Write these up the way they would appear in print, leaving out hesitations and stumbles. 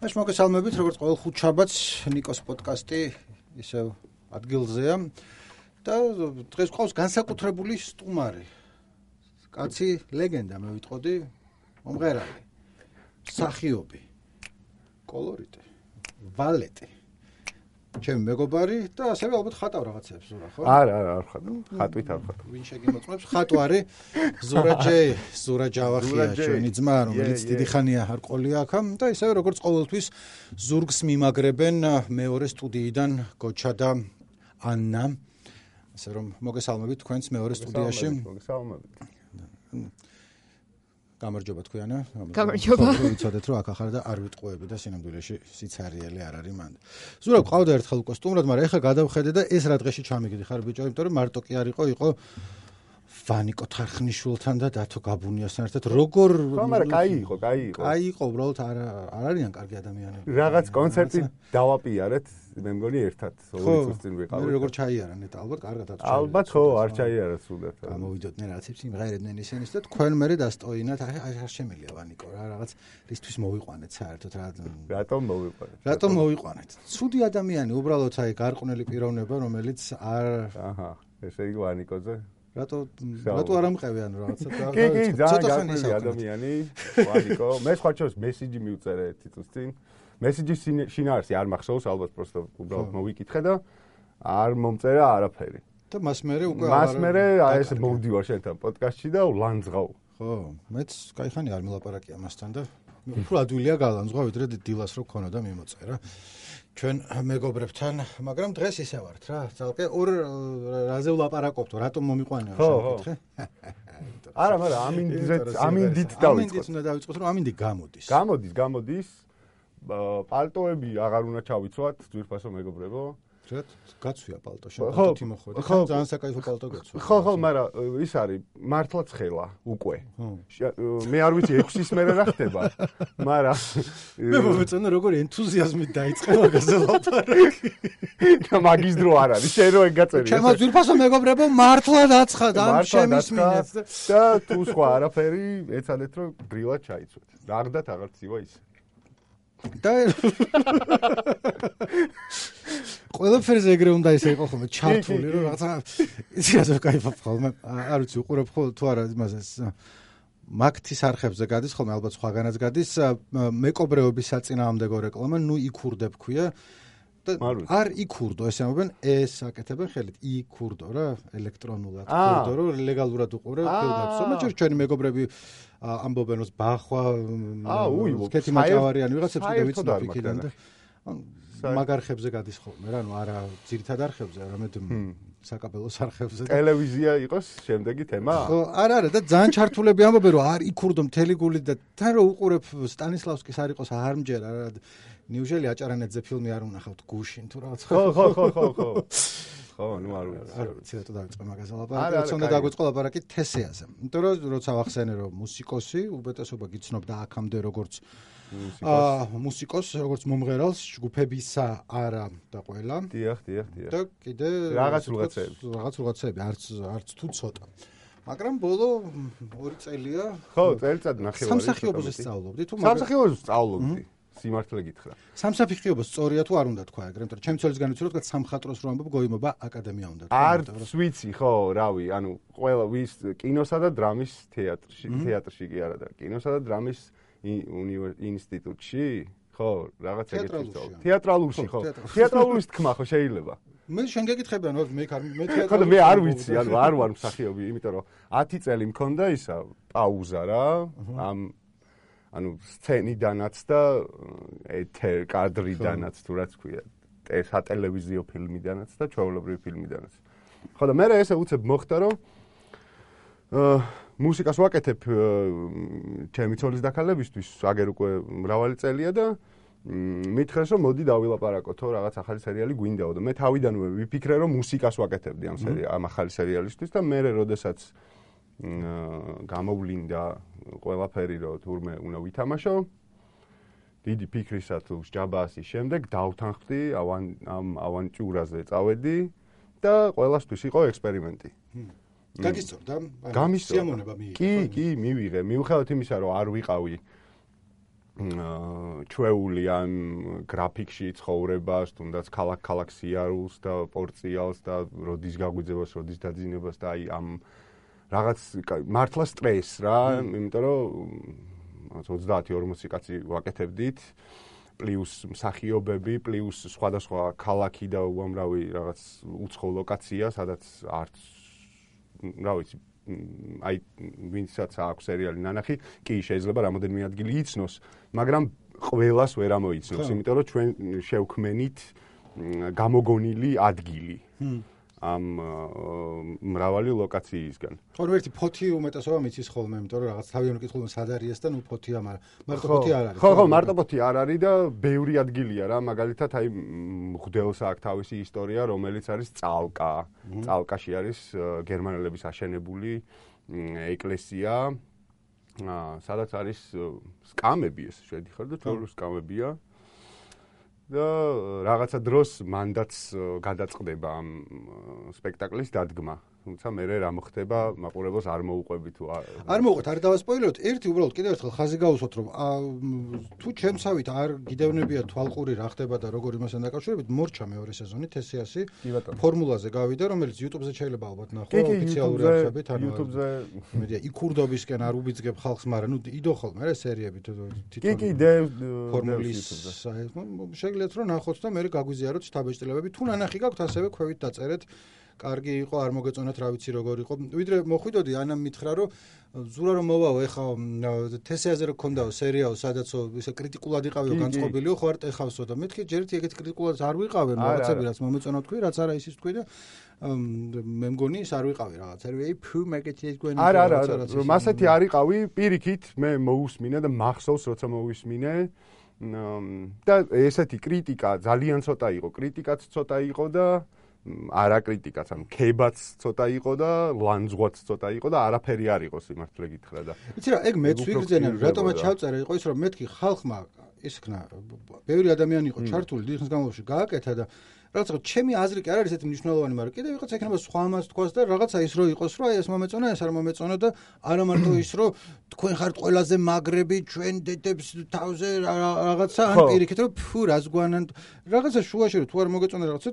Aš მოგესალმებით, როგორც ყოველ ხუთშაბათს ნიკოს პოდკასტი ისევ ადგილზეა და დღეს ყავს განსაკუთრებული სტუმარი. კაცი ლეგენდა მე ვიტყოდი, მომღერალი, მსახიობი, კოლორიტი, ვალეტი. ჩემი მეგობარი და ასევე ალბათ ხატავ რაღაცებს ზურა, ხო? არა, არ ხატავ. ხატვით არ ხატავ. ვინ შეგიმოწმებს? ხატვარი ზურა ჯავახია, ჩვენი ძმა, რომელიც დიდი ხანია არ ყოლია აქ და ისევე როგორც ყოველთვის ზურგს მიმაგრებენ მეორე სტუდიიდან გოჩა და ანნა. ასე რომ მოგესალმებით თქვენს მეორე სტუდიაში. მოგესალმებით. გამარჯობა თქვენა. გამარჯობა. ვიცოდეთ რომ აქ ახარ და არ ვიტყუები და სინამდვილეში სიცარიელი არ არის მანდ. ზურა ყავდა ერთხელ უკვე სტუმრად, მაგრამ ეხლა გადავხედე და ეს რა დღეში ჩამიგდი ხარ ბიჭო, იმიტომ რომ მარტო კი არ იყო ვანიკო თარხნიშვილთან და დათო გაბუნიასთან ერთად როგორ ხო, მაგრამ კაი იყო. კაი იყო, უბრალოდ არ არიან კარგი ადამიანები. რაღაც კონცერტი დავაპიარეთ, მე მგონი ერთად 2 წუთს წინ ვიყავით. მე როგორ ჩაიარა ნეტა, ალბათ კარგად აწვევი. ალბათ ხო, არ ჩაიარა სულად. გამოვიდოდნენ რაღაცებს იმღერებდნენ ისინიც და თქვენ მერე დასტოინათ, არ შემიძლია ვანიკო რა, რაღაც რისთვის მოვიყვანეთ საერთოდ რა. რატომ მოვიყვანეთ? ცუდი ადამიანი, უბრალოდ აი გარყვნილი პიროვნება, რომელიც არ აჰა, ესე იგი ვანიკოზე რატო არ ამყევი ანუ რაღაცა კი, ძალიან გარყვნილი ადამიანი, ვანიკო. მე სხვა ჩოს მესიჯი მივწერე 1 წუთს წინ. მესიჯის შინაარსი არ მახსოვს, ალბათ პროსტო უბრალოდ მოვიკითხე და არ მომწერა არაფერი. და მას მერე უკვე მას მერე აი ეს მოვდივარ შენთან პოდკასტში და ლანძღავ. ხო, მეც кайხანი არ მილაპარაკია მასთან და უფრო ადვილია გალანძღვა, ვიდრე დილას რო ქონოდა მიმოწერა. ჩვენ მეგობრებთან, მაგრამ დღეს ისე ვართ რა, ძალკე ორ რაზე ვლაპარაკობთო, რატომ მომიყვანეო შევკითხე? არა, მაგრამ ამინდით დავიწყოთ. ამინდით უნდა დავიწყოთ, რომ ამინდი გამოდის. გამოდის. პალტოები აღარ უნდა ჩავიცვათ, ძვირფასო მეგობრებო. რატ გაცვია პალტო, შენ თიმოხვედი. ძალიან საკაიფო პალტო გაცვია. ხო, მაგრამ ის არის მართლაც ხელა უკვე. მე არ ვიცი 6-ის მერე რა ხდება, მაგრამ მე მომეწონა როგორ ენთუზიაზმით დაიწყე მაგაზე ლაპარაკი. და მაგის დრო არ არის, შენ რო ეგ გაწერია. ჩემო ძვირფასო მეგობრებო, მართლა დაცხად ამ შემისმინეთ და თუ სხვა არაფერი, ეცადეთ რომ გრილად ჩაიცვეთ. რაგდათ აღარ ცივა ის. და ყველაფერზე ეგრე უნდა ისე იყო ხოლმე ჩართული რომ რაღაცა იცი ასე кайფობ ხოლმე არ ვიცი უყურებ ხოლმე თუ არა იმაზე მაგთის არხებზე გადის ხოლმე ალბათ სხვაგანაც გადის მეკობრეობის საწინააღმდეგო რეკლამა ნუ იქურდებ ქვია და არ იქურდო ესე ამბობენ ეს აკეთებენ ხელით იქურდო რა ელექტრონულად იქურდო რომ ლეგალურად უყურებ ფილმებს მაგრამ ჩვენი მეგობრები ამბობენ რომ ბახვა სქეთი მაჭავარიანი ვიღაცებს კიდე ვიცნობ იქიდან და მაგარხებზე გადის ხოლმე რა, არა ძირითად არხებზე, არამედ საკაბელოს არხებზე. ტელევიზია იყოს შემდეგი თემა? ხო, არა და ძალიან ჩართულები ამბობენ რომ არ იქურდო მთელი გულით და თან რო უყურებ სტანისლავსკის არ იყოს არ მჯერა რა. ნიუჟელი აჭარანეთზე ფილმი არ უნახავთ გუშინ თუ რაღაც. ხო. ხო, ნუ არ ვიცი. ცოტა დავიწყე მაგაზე ლაპარაკი, რაც უნდა დაგვიწყო ლაპარაკი თესეაზე. იმიტომ რომ როცა ვახსენე რომ მუსიკოსი, უპირატესობა გიცნობდა აქამდე როგორც მუსიკოს, როგორც მომღერალს, ჯგუფებისა არა და ყველა. დიახ. და კიდე რაღაც რაღაცები, არც თუ ცოტა. მაგრამ ბოლო 2 წელია. ხო, წელიწად ნახევარი. სამსახიობოზე სწავლობდი თუ სამსახიობოზე სწავლობდი. სიმართლე გითხრა. სამსახიობო სწორია თუ არ უნდა თქვა ეგრე, იმიტომ რომ ჩემი ცოლის განიცდო თქვა სამხატვროს რო ამბობ გოიმობა აკადემია უნდა თქვა. არც ვიცი, ხო, რავი, ანუ ყველა ვის კინოსა და დრამის თეატრში კი არა და კინოსა და დრამის ინსტიტუტში? ხო, რაღაც ეგეთი სწავლა. თეატრალურში ხო. თეატრალურის თქმა ხო შეიძლება. მე შენ გეკითხები ანუ მე თეატრალურში. ხო და მე არ ვიცი, ანუ არ ვარ მსახიობი, იმიტომ რომ 10 წელი მქონდა ისა პაუზა რა, ანუ სცენიდანაც და ეთერ კადრიდანაც თუ რაც ქვია, სატელევიზიო ფილმიდანაც და ჩვეულებრივი ფილმიდანაც. ხო და მე ესე უცებ მოხდა რომ მუსიკას ვაკეთებ ჩემი ცოლის დაქალებისთვის, აგერ უკვე მრავალი წელია და მითხრეს რომ მოდი დავილაპარაკოთო რაღაც ახალი სერიალი გვინდაო და მე თავიდანვე ვიფიქრე რომ მუსიკას ვაკეთებდი ამ ახალი სერიალისთვის და მე როდესაც გამოვლინდა ყველაფერი რომ თურმე უნდა ვითამაშო დიდი ფიქრისა თუ ჯაბასის შემდეგ დავთანხმდი ამ ავანტიურაზე წავედი და ყველასთვის იყო ექსპერიმენტი. გაგისწორდა? სიამოვნება მიიღე. კი, მივიღე. მიუხედავად იმისა, რომ არ ვიყავი ჩვეული ამ გრაფიკში ცხოვრებას, თუნდაც ქალაქ-ქალაქ სიარულს და პორციალს და როდის გაგვიძებას, როდის დაძინებას და აი ამ რაღაც მართლა სტრესს რა, იმიტომ რომ 30-40 კაცი ვაკეთებდით, პლუს მსახიობები, პლუს სხვადასხვა ქალაქი და უამრავი რაღაც უცხო ლოკაცია, სადაც არც რა ვიცი, აი ვინცაც აქვს სერიალი ნანახი, კი შეიძლება რამოდენიმე ადგილი იცნოს, მაგრამ ყველას ვერ ამოიცნობს, იმიტომ რომ ჩვენ შევქმენით გამოგონილი ადგილი. ამ მრავალი ლოკაციისგან. ხო, ერთი ფოთი უმეტესობა მიცის ხოლმე, იმიტომ რომ რაღაც თავიანთი კითხულობენ სად არის და ნუ ფოთია, მაგრამ მარტო ფოთი არ არის. ხო, მარტო ფოთი არ არის და ბევრი ადგილია რა, მაგალითად აი მღვდელს აქვს თავისი ისტორია, რომელიც არის წალკა. წალკაში არის გერმანელების აშენებული ეკლესია, სადაც არის სკამები ეს შედიხარ და ჩვეულის სკამებია. და რაღაცა დროს მანდაც გადაწყდება ამ სპექტაკლის დადგმა. თუმცა მე რა მოხდება, მაყურებელს არ მოუყვები თუ არ მოუყვეთ, არ დავასპოილეროთ. ერთი უბრალოდ კიდევ ერთხელ ხაზი გავუსვათ, რომ თუ ჩემსავით არ გიდევნებია თვალყური რა ხდება და როგორ იმასთან დაკავშირებით, მორჩა მეორე სეზონი თესიასი ფორმულაზე გავიდა, რომელიც YouTube-ზე შეიძლება ალბათ ნახო, ოფიციალური არხებით, ანუ YouTube-ზე იმედია იქურდობისკენ არ უბიძგებ ხალხს, მაგრამ ნუ იდო ხოლმე რა სერიები თვითონ ფორმულის შეგიძლიათ რომ ნახოთ და მე გაგვიზიაროთ შთაბეჭდილებები, თუ ნანახი გაქვთ ასევე ქვევით დაწერეთ. კარგი იყო, არ მოგეწონათ რა ვიცი როგორ იყო. ვიდრე მოხვიდოდი ანამ მითხრა რომ ზურა რომ მოვაო ეხა თესეაზე რო გქონდაო სერიაო სადაცო ისე კრიტიკულად იყავიო განწყობილიო ხო არ ტეხავსო და მეთქი ჯერით ეგეთ კრიტიკულად არ ვიყავე რაღაცები რაც მომეწონა თქვი რაც არა ისიც თქვი და მე მგონი ის არ ვიყავი რაღაცები აი ფუ მაგეთიეთ გვენი არა მასეთი არ იყავი პირიქით მე მოусმინე და მახსოვს როცა მოვისმინე და ესეთი კრიტიკა ძალიან ცოტა იყო კრიტიკაც ცოტა იყო და არა კრიტიკაც, ანუ ქებაც ცოტა იყო და ლანძღვაც ცოტა იყო და არაფერი არ იყო სიმართლე გითხრა და. იცი რა, ეგ მეც ვიგრძენე, რატომაც ჩავწერე იყო ის რომ მეთქი ხალხმა ისქნა, ბევრი ადამიანი იყო ჩართული დიდი ხნის განმავლობაში გააკეთა და რაღაცა ჩემი აზრი კი არ არის ესეთი მნიშვნელოვანი, მაგრამ კიდევ ვიღაცა ექნება სხვა ამას თქვას და რაღაცა ის რო იყოს, რომ აი ეს მომეწონა, ეს არ მომეწონა და არა მარტო ის რომ თქვენ ხართ ყველაზე მაგრები, ჩვენ დედებს თავზე რაღაცა ან პირიქით რომ ფუ რას გვანან რაღაცა შუაში რომ თუ არ მოგეწონა რაღაცა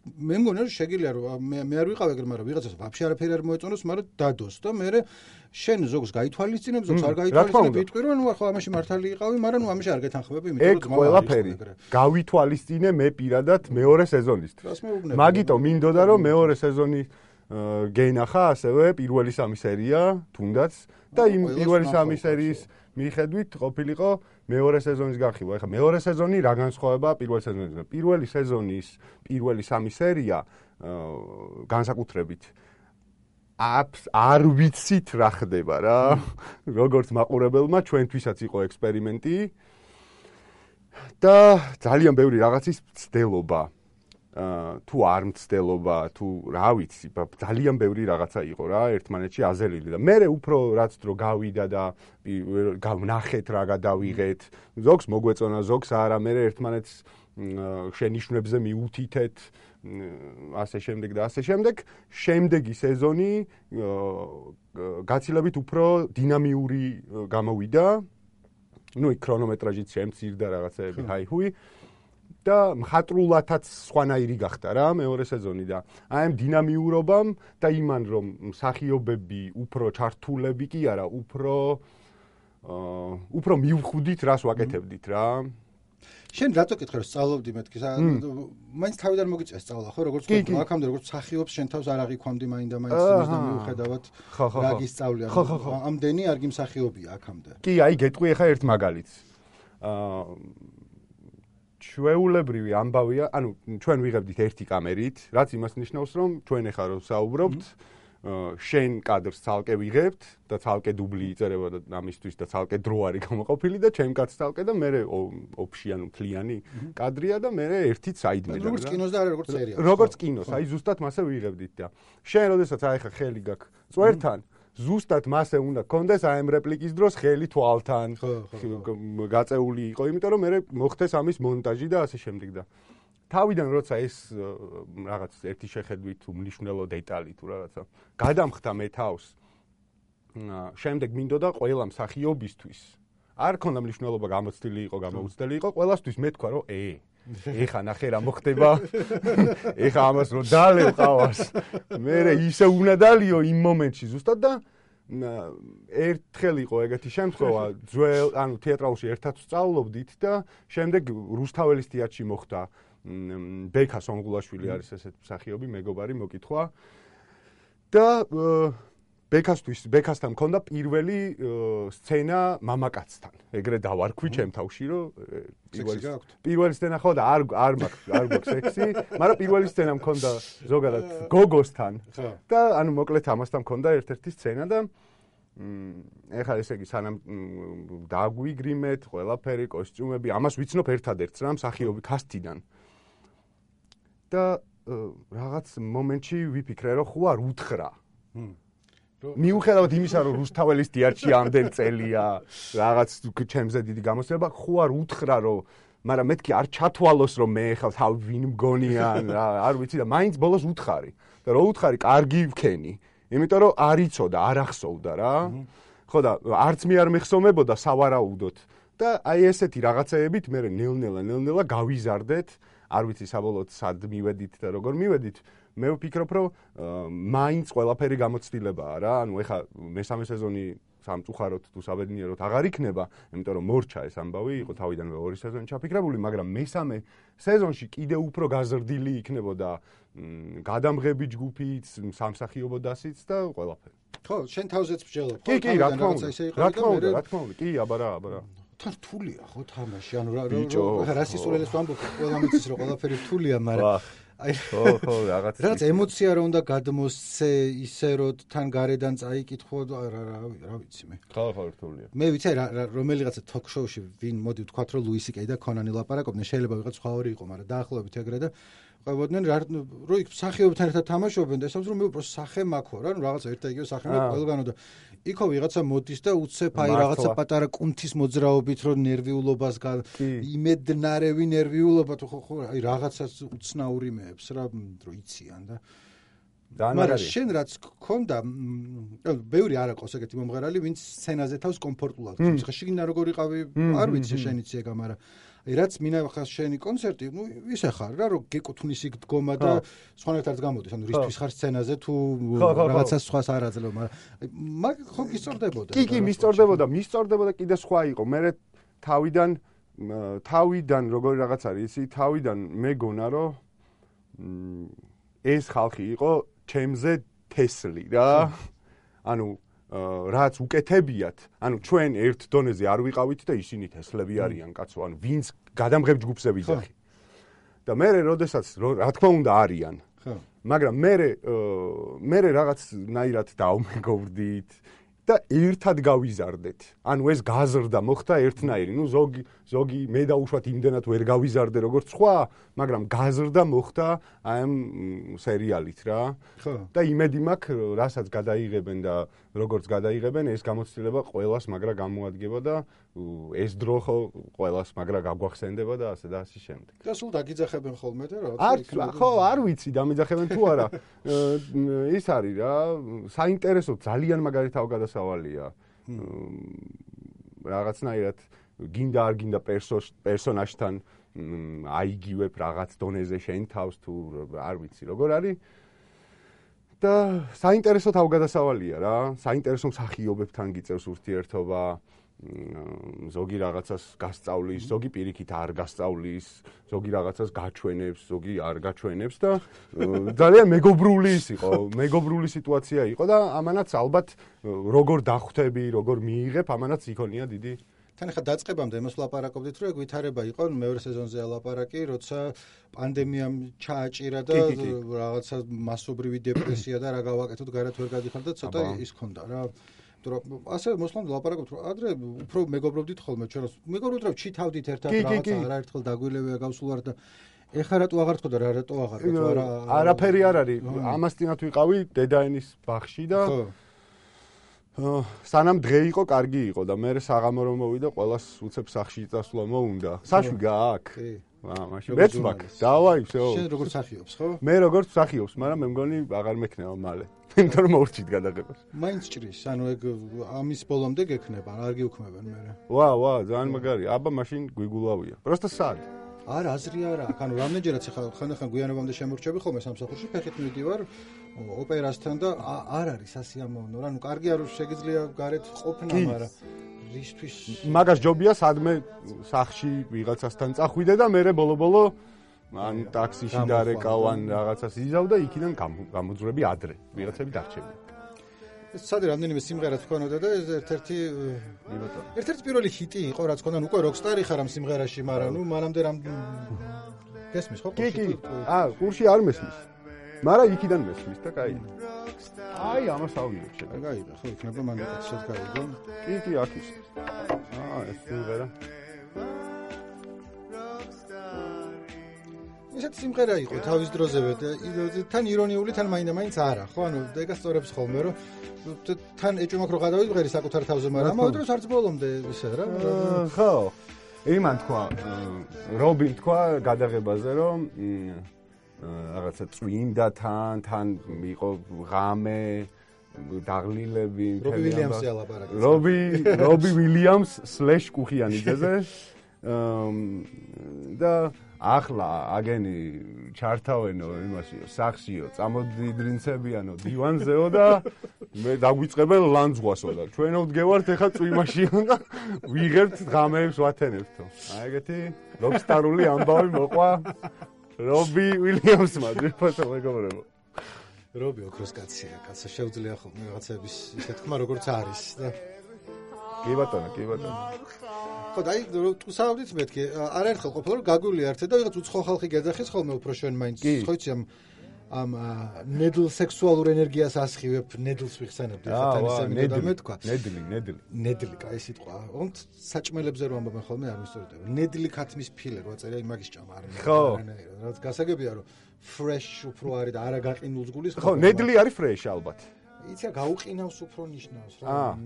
მე მგონია რომ შეგიძლია რომ მე არ ვიყავ ეგრე მაგრამ ვიღაცას ვაფშე არაფერი არ მოეწონოს მაგრამ დადოს და მე შენ ზოგს გაითვალისწინებ ზოგს არ გაითვალისწინებ იტყვი რომ ნუ ახლა ამაში მართალი იყავი მაგრამ ნუ ამაში არ გეთანხმები იმიტომ რომ ყველაფერი გავითვალისწინე მე პირადად მეორე სეზონისთვის მაგიტომ მინდოდა რომ მეორე სეზონი გეინახა ასევე პირველი სამი სერია თუნდაც და იმ პირველი სამი სერიის მიხედვით ყოფილიყო მეორე სეზონის განხილვა. ეხლა მეორე სეზონი რა განსხვავება პირველი სეზონისგან? პირველი სეზონის პირველი სამი სერია განსაკუთრებით არ ვიცით რა ხდება რა. როგორც მაყურებელმა ჩვენთვისაც იყო ექსპერიმენტი და ძალიან ბევრი რაღაცის ცდელობა. თუ არ მცდელობა, თუ რა ვიცი, ძალიან ბევრი რაღაცა იყო რა, ერთმანეთში აზელილი და მე უფრო რაც დრო გავიდა და ვნახეთ რა გადავიღეთ, ზოგს მოგვეწონა, ზოგს არა, მე ერთმანეთს შენიშვნებზე მიუთითეთ, ასე შემდეგ და ასე შემდეგ. შემდეგი სეზონი გაცილებით უფრო დინამიური გამოვიდა. ნუ იქ ქრონომეტრაჟიც შემცირდა რაღაცეები, ჰაი-ჰუი. და მხატვრულათაც სხვანაირი გახდა რა მეორე სეზონი და აი ამ დინამიურობამ და იმან რომ მსახიობები უფრო ჩართულები კი არა უფრო მივხვდით რას ვაკეთებდით რა შენ რატო კითხე რომ სწავლობდი მეთქი მაინც თავიდან მოგიწია სწავლა ხო როგორც თქვი აქამდე როგორც მსახიობს შენ თავს არ აღიქვამდი მაინდა მაინც იმის და მიუხედავად რა გისწავლია ამდენი არ გიმსახიობია აქამდე კი აი გეტყვი ახლა ერთ მაგალითს ჩვეულებრივი ამბავია, ანუ ჩვენ ვიღებდით ერთი კამერით, რაც იმას ნიშნავს, რომ ჩვენ ახლა რო საუბრობთ, შენ კადრს ცალკე ვიღებთ და ცალკე დუბლი იწერება და ამისთვის და ცალკე დრო არის გამოყოფილი და ჩემ კადრს ცალკე და მე ოფში ანუ მთლიანი კადრია და მე ერთი საიდმე და როგორც კინოს და არა როგორც სერიალს. როგორც კინოს, აი ზუსტად მასე ვიღებდით და შენ როდესაც აი ხა ხელი გაქვს წვერთან ზუსტად მასე უნდა გქონდეს აი ამ რეპლიკის დროს ხელი თვალთან გაწეული იყო, იმიტომ რომ მე მოხდეს ამის მონტაჟი და ასე შემდეგ და თავიდან როცა ეს რაღაც ერთი შეხედვით თუ მნიშვნელო დეტალი თუ რაღაცა გადამხდა მე თავს შემდეგ მინდოდა ყველა მსახიობისთვის არ ქონდა მნიშვნელობა გამოცდილი იყო, გამოუცდელი იყო, ყველასთვის მე თქვა რომ ეხა ნახე რა მოხდება. ეხა ამას რომ დალევ ყავას. მე ისე უნდა დალიო იმ მომენტში ზუსტად და ერთხელ იყო ეგეთი შემთხვევა, ანუ თეატრალში ერთად სწავლობდით და შემდეგ რუსთაველის თეატრში მოხდა ბექა სონღულაშვილი არის ესეთ მსახიობი, მეგობარი მოკითხვა. და ბექასთან მქონდა პირველი სცენა მამაკაცთან. ეგრე დავარქვი ჩემ თავში, რომ პირველი სცენა ხო და არ მაქვს სექსი, მაგრამ პირველი სცენა მქონდა ზოგადად გოგოსთან. და ანუ მოკლედ ამასთან მქონდა ერთ-ერთი სცენა და ეხლა ესე იგი სანამ დაგვიგრიმეთ, ყველაფერი, კოსტიუმები, ამას ვიცნობ ერთადერთს რა მსახიობი კასტიდან. და რაღაც მომენტში ვიფიქრე, რომ ხო არ უთხრა. მიუხედავად იმისა, რომ რუსთაველის თეატრში ამდენ წელია, რაღაც ჩემზე დიდი გამოცდილება, ხო არ უთხრა, რომ მაგრამ მეთქი არ ჩათვალოს, რომ მე ხავ თავ ვინ მგონიან, არ ვიცი და მაინც ბოლოს უთხარი. და რო უთხარი, კარგი ვქენი. იმიტომ რომ არ იცოდა, არ ახსოვდა რა. ხო და არც მე არ მეხსოვებოდა სავარაუდოდ. და აი ესეთი რაღაცეებით მე ნელ-ნელა გავიზარდეთ. არ ვიცი საბოლოოდ სად მივედით და როგორ მივედით. მე ვფიქრობ, რომ მაინც ყველაფერი გამოცდილებაა რა. ანუ ეხა მესამე სეზონი სამწუხაროდ თუ საბედნიეროდ აღარ იქნება, იმიტომ რომ მორჩა ეს ამბავი, იყო თავიდანვე 2 სეზონი ჩაფიქრებული, მაგრამ მესამე სეზონში კიდე უფრო გაზრდილი იქნებოდა გადამღები ჯგუფიც, სამსახიობო დასიც და ყველაფერი. ხო, შენ თავზეც მსჯელობ. კი, რა თქმა უნდა, კი, აბარა. თან რთულია ხო თამაში, ანუ რა სისულელეს ვამბობ, ყველა მიცის რომ ყველაფერი რთულია, მაგრამ აი ხო, რაღაც ემოცია რო უნდა გადმოსცე, ისე რომ თან გარედან წაიკითხო, რა ვიცი მე. ხო, რთულია. მე ვიცი რომელიღაცა თოქ-შოუში ვინ მოდი ვთქვათ რომ ლუისი კეი და კონანი ლაპარაკობდნენ, შეიძლება ვიღაც სხვა ორი იყო, მაგრამ დაახლოებით ეგრე და ყვებოდნენ რო იქ მსახიობებთან ერთად თამაშობენ და ესაუბრობენ რომ მე უბრალოდ სახე მაქვს რა, რაღაც ერთ და იგივე სახე მაქვს ყველგანო და იქო ვიღაცა მოდის და უცებ აი რაღაცა პატარა კუნთის მოძრაობით რომ ნერვიულობას იმედნარევი ნერვიულობა თუ ხო აი რაღაცას უცნაური მეებს რა რო იციან და მაგრამ შენ რაც გქონდა ბევრი არ აქვს ეგეთი მომღერალი ვინც სცენაზე თავს კომფორტულად ხდება ხა შიგნით როგორ იყავი არ ვიცი შენ იცი ეგ მაგრამ აი რაც მინახავს შენი კონცერტი ნუ ისე ხარ რა რომ გეკუთვნის იქ დგომა და სხვანაირად არც გამოდის ანუ რისთვის ხარ სცენაზე თუ რაღაცას სხვას არ აძლევ მაგრამ ხო გისწორდებოდა კი მისწორდებოდა კიდე სხვა იყო მე თავიდან როგორი რაღაც არის ისი თავიდან მეგონა რომ ეს ხალხი იყო ჩემზე თესლი რა ანუ რაც უკეთებიათ, ანუ ჩვენ ერთ დონეზე არ ვიყავით და ისინი თესლები არიან კაცო, ანუ ვინც გადამღებ ჯგუფზე ვიძახი. და მე როდესაც რა თქმა უნდა არიან. მაგრამ მე რაღაცნაირად დავმეგობრდით და ერთად გავიზარდეთ. ანუ ეს გაზრდა მოხდა ერთნაირი. ნუ ზოგი მე დაუშვათ იმდენად ვერ გავიზარდე როგორც სხვა, მაგრამ გაზრდა მოხდა აი ამ სერიალით რა. და იმედი მაქვს, რასაც გადაიღებენ და როგორც გადაიღებენ, ეს გამოცდილება ყველას მაგრა გამოადგება და ეს დრო ხო ყველას მაგრა გაგვახსენდება და ასე და ასე შემდეგ. და სულ დაგიძახებენ ხოლმე და რა. ხო, არ ვიცი დამიძახებენ თუ არა. ის არის რა, საინტერესო ძალიან მაგარი თავგადასავალია. რაღაცნაირად გინდა არ გინდა პერსონაჟთან აიგივებ რაღაც დონეზე შენ თავს თუ არ ვიცი როგორ არის და საინტერესო თავგადასავალია რა საინტერესო მსახიობებთან გიწევს ურთიერთობა ზოგი რაღაცას გასწავლის ზოგი პირიქით არ გასწავლის ზოგი რაღაცას გაჩვენებს ზოგი არ გაჩვენებს და ძალიან მეგობრული სიტუაცია იყო და ამანაც ალბათ როგორ დახვდები როგორ მიიღებ ამანაც იქონია დიდი თან ხა დაწყებამდე იმას ვლაპარაკობდით რომ ეგ ვითარება იყო მეორე სეზონზე ალაპარაკი როცა პანდემიამ ჩააჭირა და რაღაცა მასობრივი დეპრესია და რა გავაკეთოთ გარეთ ვერ გადიხარ და ცოტა ის ქონდა რა იმიტომ ასე მოსლამდე ლაპარაკობთ რომ ადრე უფრო მეგობრობდით ხოლმე ჩვენ მეგობრობთ რომ ჩითავდით ერთად რაღაცა არაერთხელ დაგვილევია გავსულვართ და ეხლა რატო აღარ თქო და რატო აღარ თქო არაფერი არ არის ამასთანავე ვიყავი დედაენის ბაღში და სანამ დღე იყო, კარგი იყო და მე საღამო რომ მოვიდა, ყველას უცებ სახში წასვლა მოუნდა. საშვი გააქვს? მაშინ მეც მაქვს. დავაი, всё. შენ როგორ სახიობს, ხო? მე როგორ სახიობს, მაგრამ მე მგონი აღარ მექნება მალე. იმიტომ რომ მოურჩით გადაღებას. მაინც ჭრის, ანუ ეგ ამის ბოლომდე გექნება, არ გიუქმებენ მე. ვა, ძალიან მაგარია. აბა მაშინ გვიგულავია. просто სად? არა, აზრი არა. ანუ რამდენჯერაც ხანდახან გვიანობამდე შემორჩები ხოლმე სამსახურში, ფეხით მივდივარ ოპერასთან და არ არის ასიამოვნო. ანუ კარგი არ შეგიძლია გარეთ ყოფნა, მაგრამ რისთვის მაგას ჯობია სადმე სახში ვიღაცასთან წახვიდე და მე ბოლო-ბოლო ან ტაქსიში დარეკავ ან რაღაცას იზავ და იქიდან გამოძვრები ადრე. ვიღაცები დარჩები. ეს სადი რამდენიმე სიმღერა თქვენოდა და ეს ერთ-ერთი პირველი ჰიტი იყო, რაც ქონდა, უკვე როკსტარი ხარ ამ სიმღერაში, მაგრამ ნუ მანამდე გესმის ხო? კი. კურსი არ მესმის. მაგრამ იქიდან მესმის და კაი. აი, ამას ავიღებ შეგა. გაიგე, ხო, იქნება მანდატი შედგაიგო. კი, აქ ის. ეს სიმღერა. ისეთ სიმღერა იყო თავის დროზევე და თან ირონიული, თან მაინდა-მაინც არა, ხო? ანუ ეგ ასწორებს ხოლმე, რომ თან ეჭვმაქ რო გადავიდგერი საკუთარ თავზე, მაგრამ ამავე დროს არც ბოლომდე ისე რა. ხო. იმან თქვა, რობინ თქვა გადაღებაზე, რომ რაღაცა წვიმდა თან იყო ღამე, დაღლილები, რობი ვილიამსი ალაპარაკი. რობი ვილიამს / კუხიანიძეზე. და ახლა აგენი ჩართავენო იმასიო, სახშიო, წამოდიდრინცებიანო დივანზეო და მე დაგვიწყებენ ლანძღვასო და ჩვენო ვდგევართ ეხა წვიმაშიო და ვიღებთ ღამეებს ვათენებთო. აი ეგეთი როკსტარული ამბავი მოყვა რობი ვილიამსმა, ძირფასო მეგობრებო. რობი ოქროს კაცია, კაცს შეუძლია ხოლმე რაღაცების ისე თქმა როგორც არის და კი ბატონო. ხო, დაი თუ საუბრით მეთქი, არაერთხელ ყოფილა რომ გაგვილიართე და ვიღაც უცხო ხალხი გეძახის ხოლმე უფრო შენ მაინც ხოიცი ამ ნედლ სექსუალურ ენერგიას ასხივებ, ნედლს ვიხსენებდი ხათან ისე მინდა მეთქვა. ნედლი, კაი სიტყვა. ოღონდ საჭმელებზე რომ ამბობენ ხოლმე არ ვისწორდება. ნედლი ქათმის ფილე რო აწერია იმაგის ჭამა არ მინდა. ხო. რაც გასაგებია რომ fresh უფრო არის და არა გაყინულს გულის. ხო, ნედლი არის fresh ალბათ. იცი გაუყინავს უფრო ნიშნავს რა.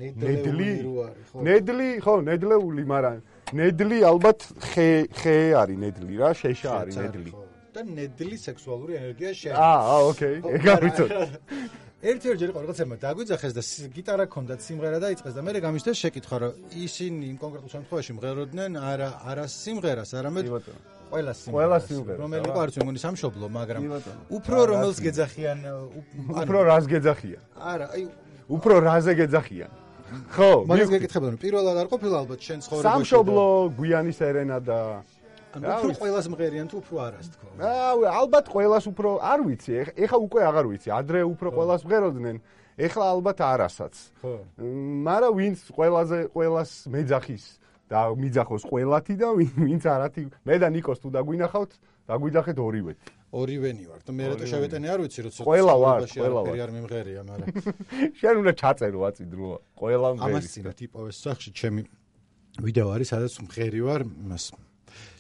ნედლი, ხო, ნედლეული, მაგრამ ნედლი ალბათ ხე არის ნედლი რა, შეშა არის ნედლი. და ნედლი სექსუალური ენერგია შენ. ოკეი, ეგ ავიცოთ. ერთ-ერთი იყო რაღაცა დაგვიძახეს და გიტარა ქონდათ, სიმღერა დაიწყეს და მე გამიშთა შეკითხა რომ ისინი იმ კონკრეტულ შემთხვევაში მღეროდნენ არა სიმღერას, არამედ ყველა სიმღერას, რომელიც იყო არც მეგონი სამშობლო, მაგრამ უფრო რომელს გეძახიან, უფრო რას გეძახიან? არა, აი უფრო რაზე გეძახიან? ხო, მაგას გეკითხებოდი, პირველად არ ყოფილა ალბათ შენ ცხოვრებაში. სამშობლო, გვიანი სერენა და ანუ უფრო ყველას მღერიან თუ უფრო არას თქო. ალბათ ყველას უფრო არ ვიცი, ეხა უკვე აღარ ვიცი, ადრე უფრო ყველას მღეროდნენ, ეხლა ალბათ არასაც. ხო. მაგრამ ვინც ყველას მეძახის და მიძახოს ყველათი და ვინც არათი, მე და ნიკოს თუ დაგვინახავთ, დაგვიძახეთ ორივეთი. ორივენი ვარ და მე რატო შევეტენე არ ვიცი, როცა ყველა ვარ. არ მიმღერია, მაგრამ შენ უნდა ჩაწერო აწიდროა, ყველა მღერის. ამას წინათ იპოვეს სახში ჩემი ვიდეო არის, სადაც მღერი ვარ იმას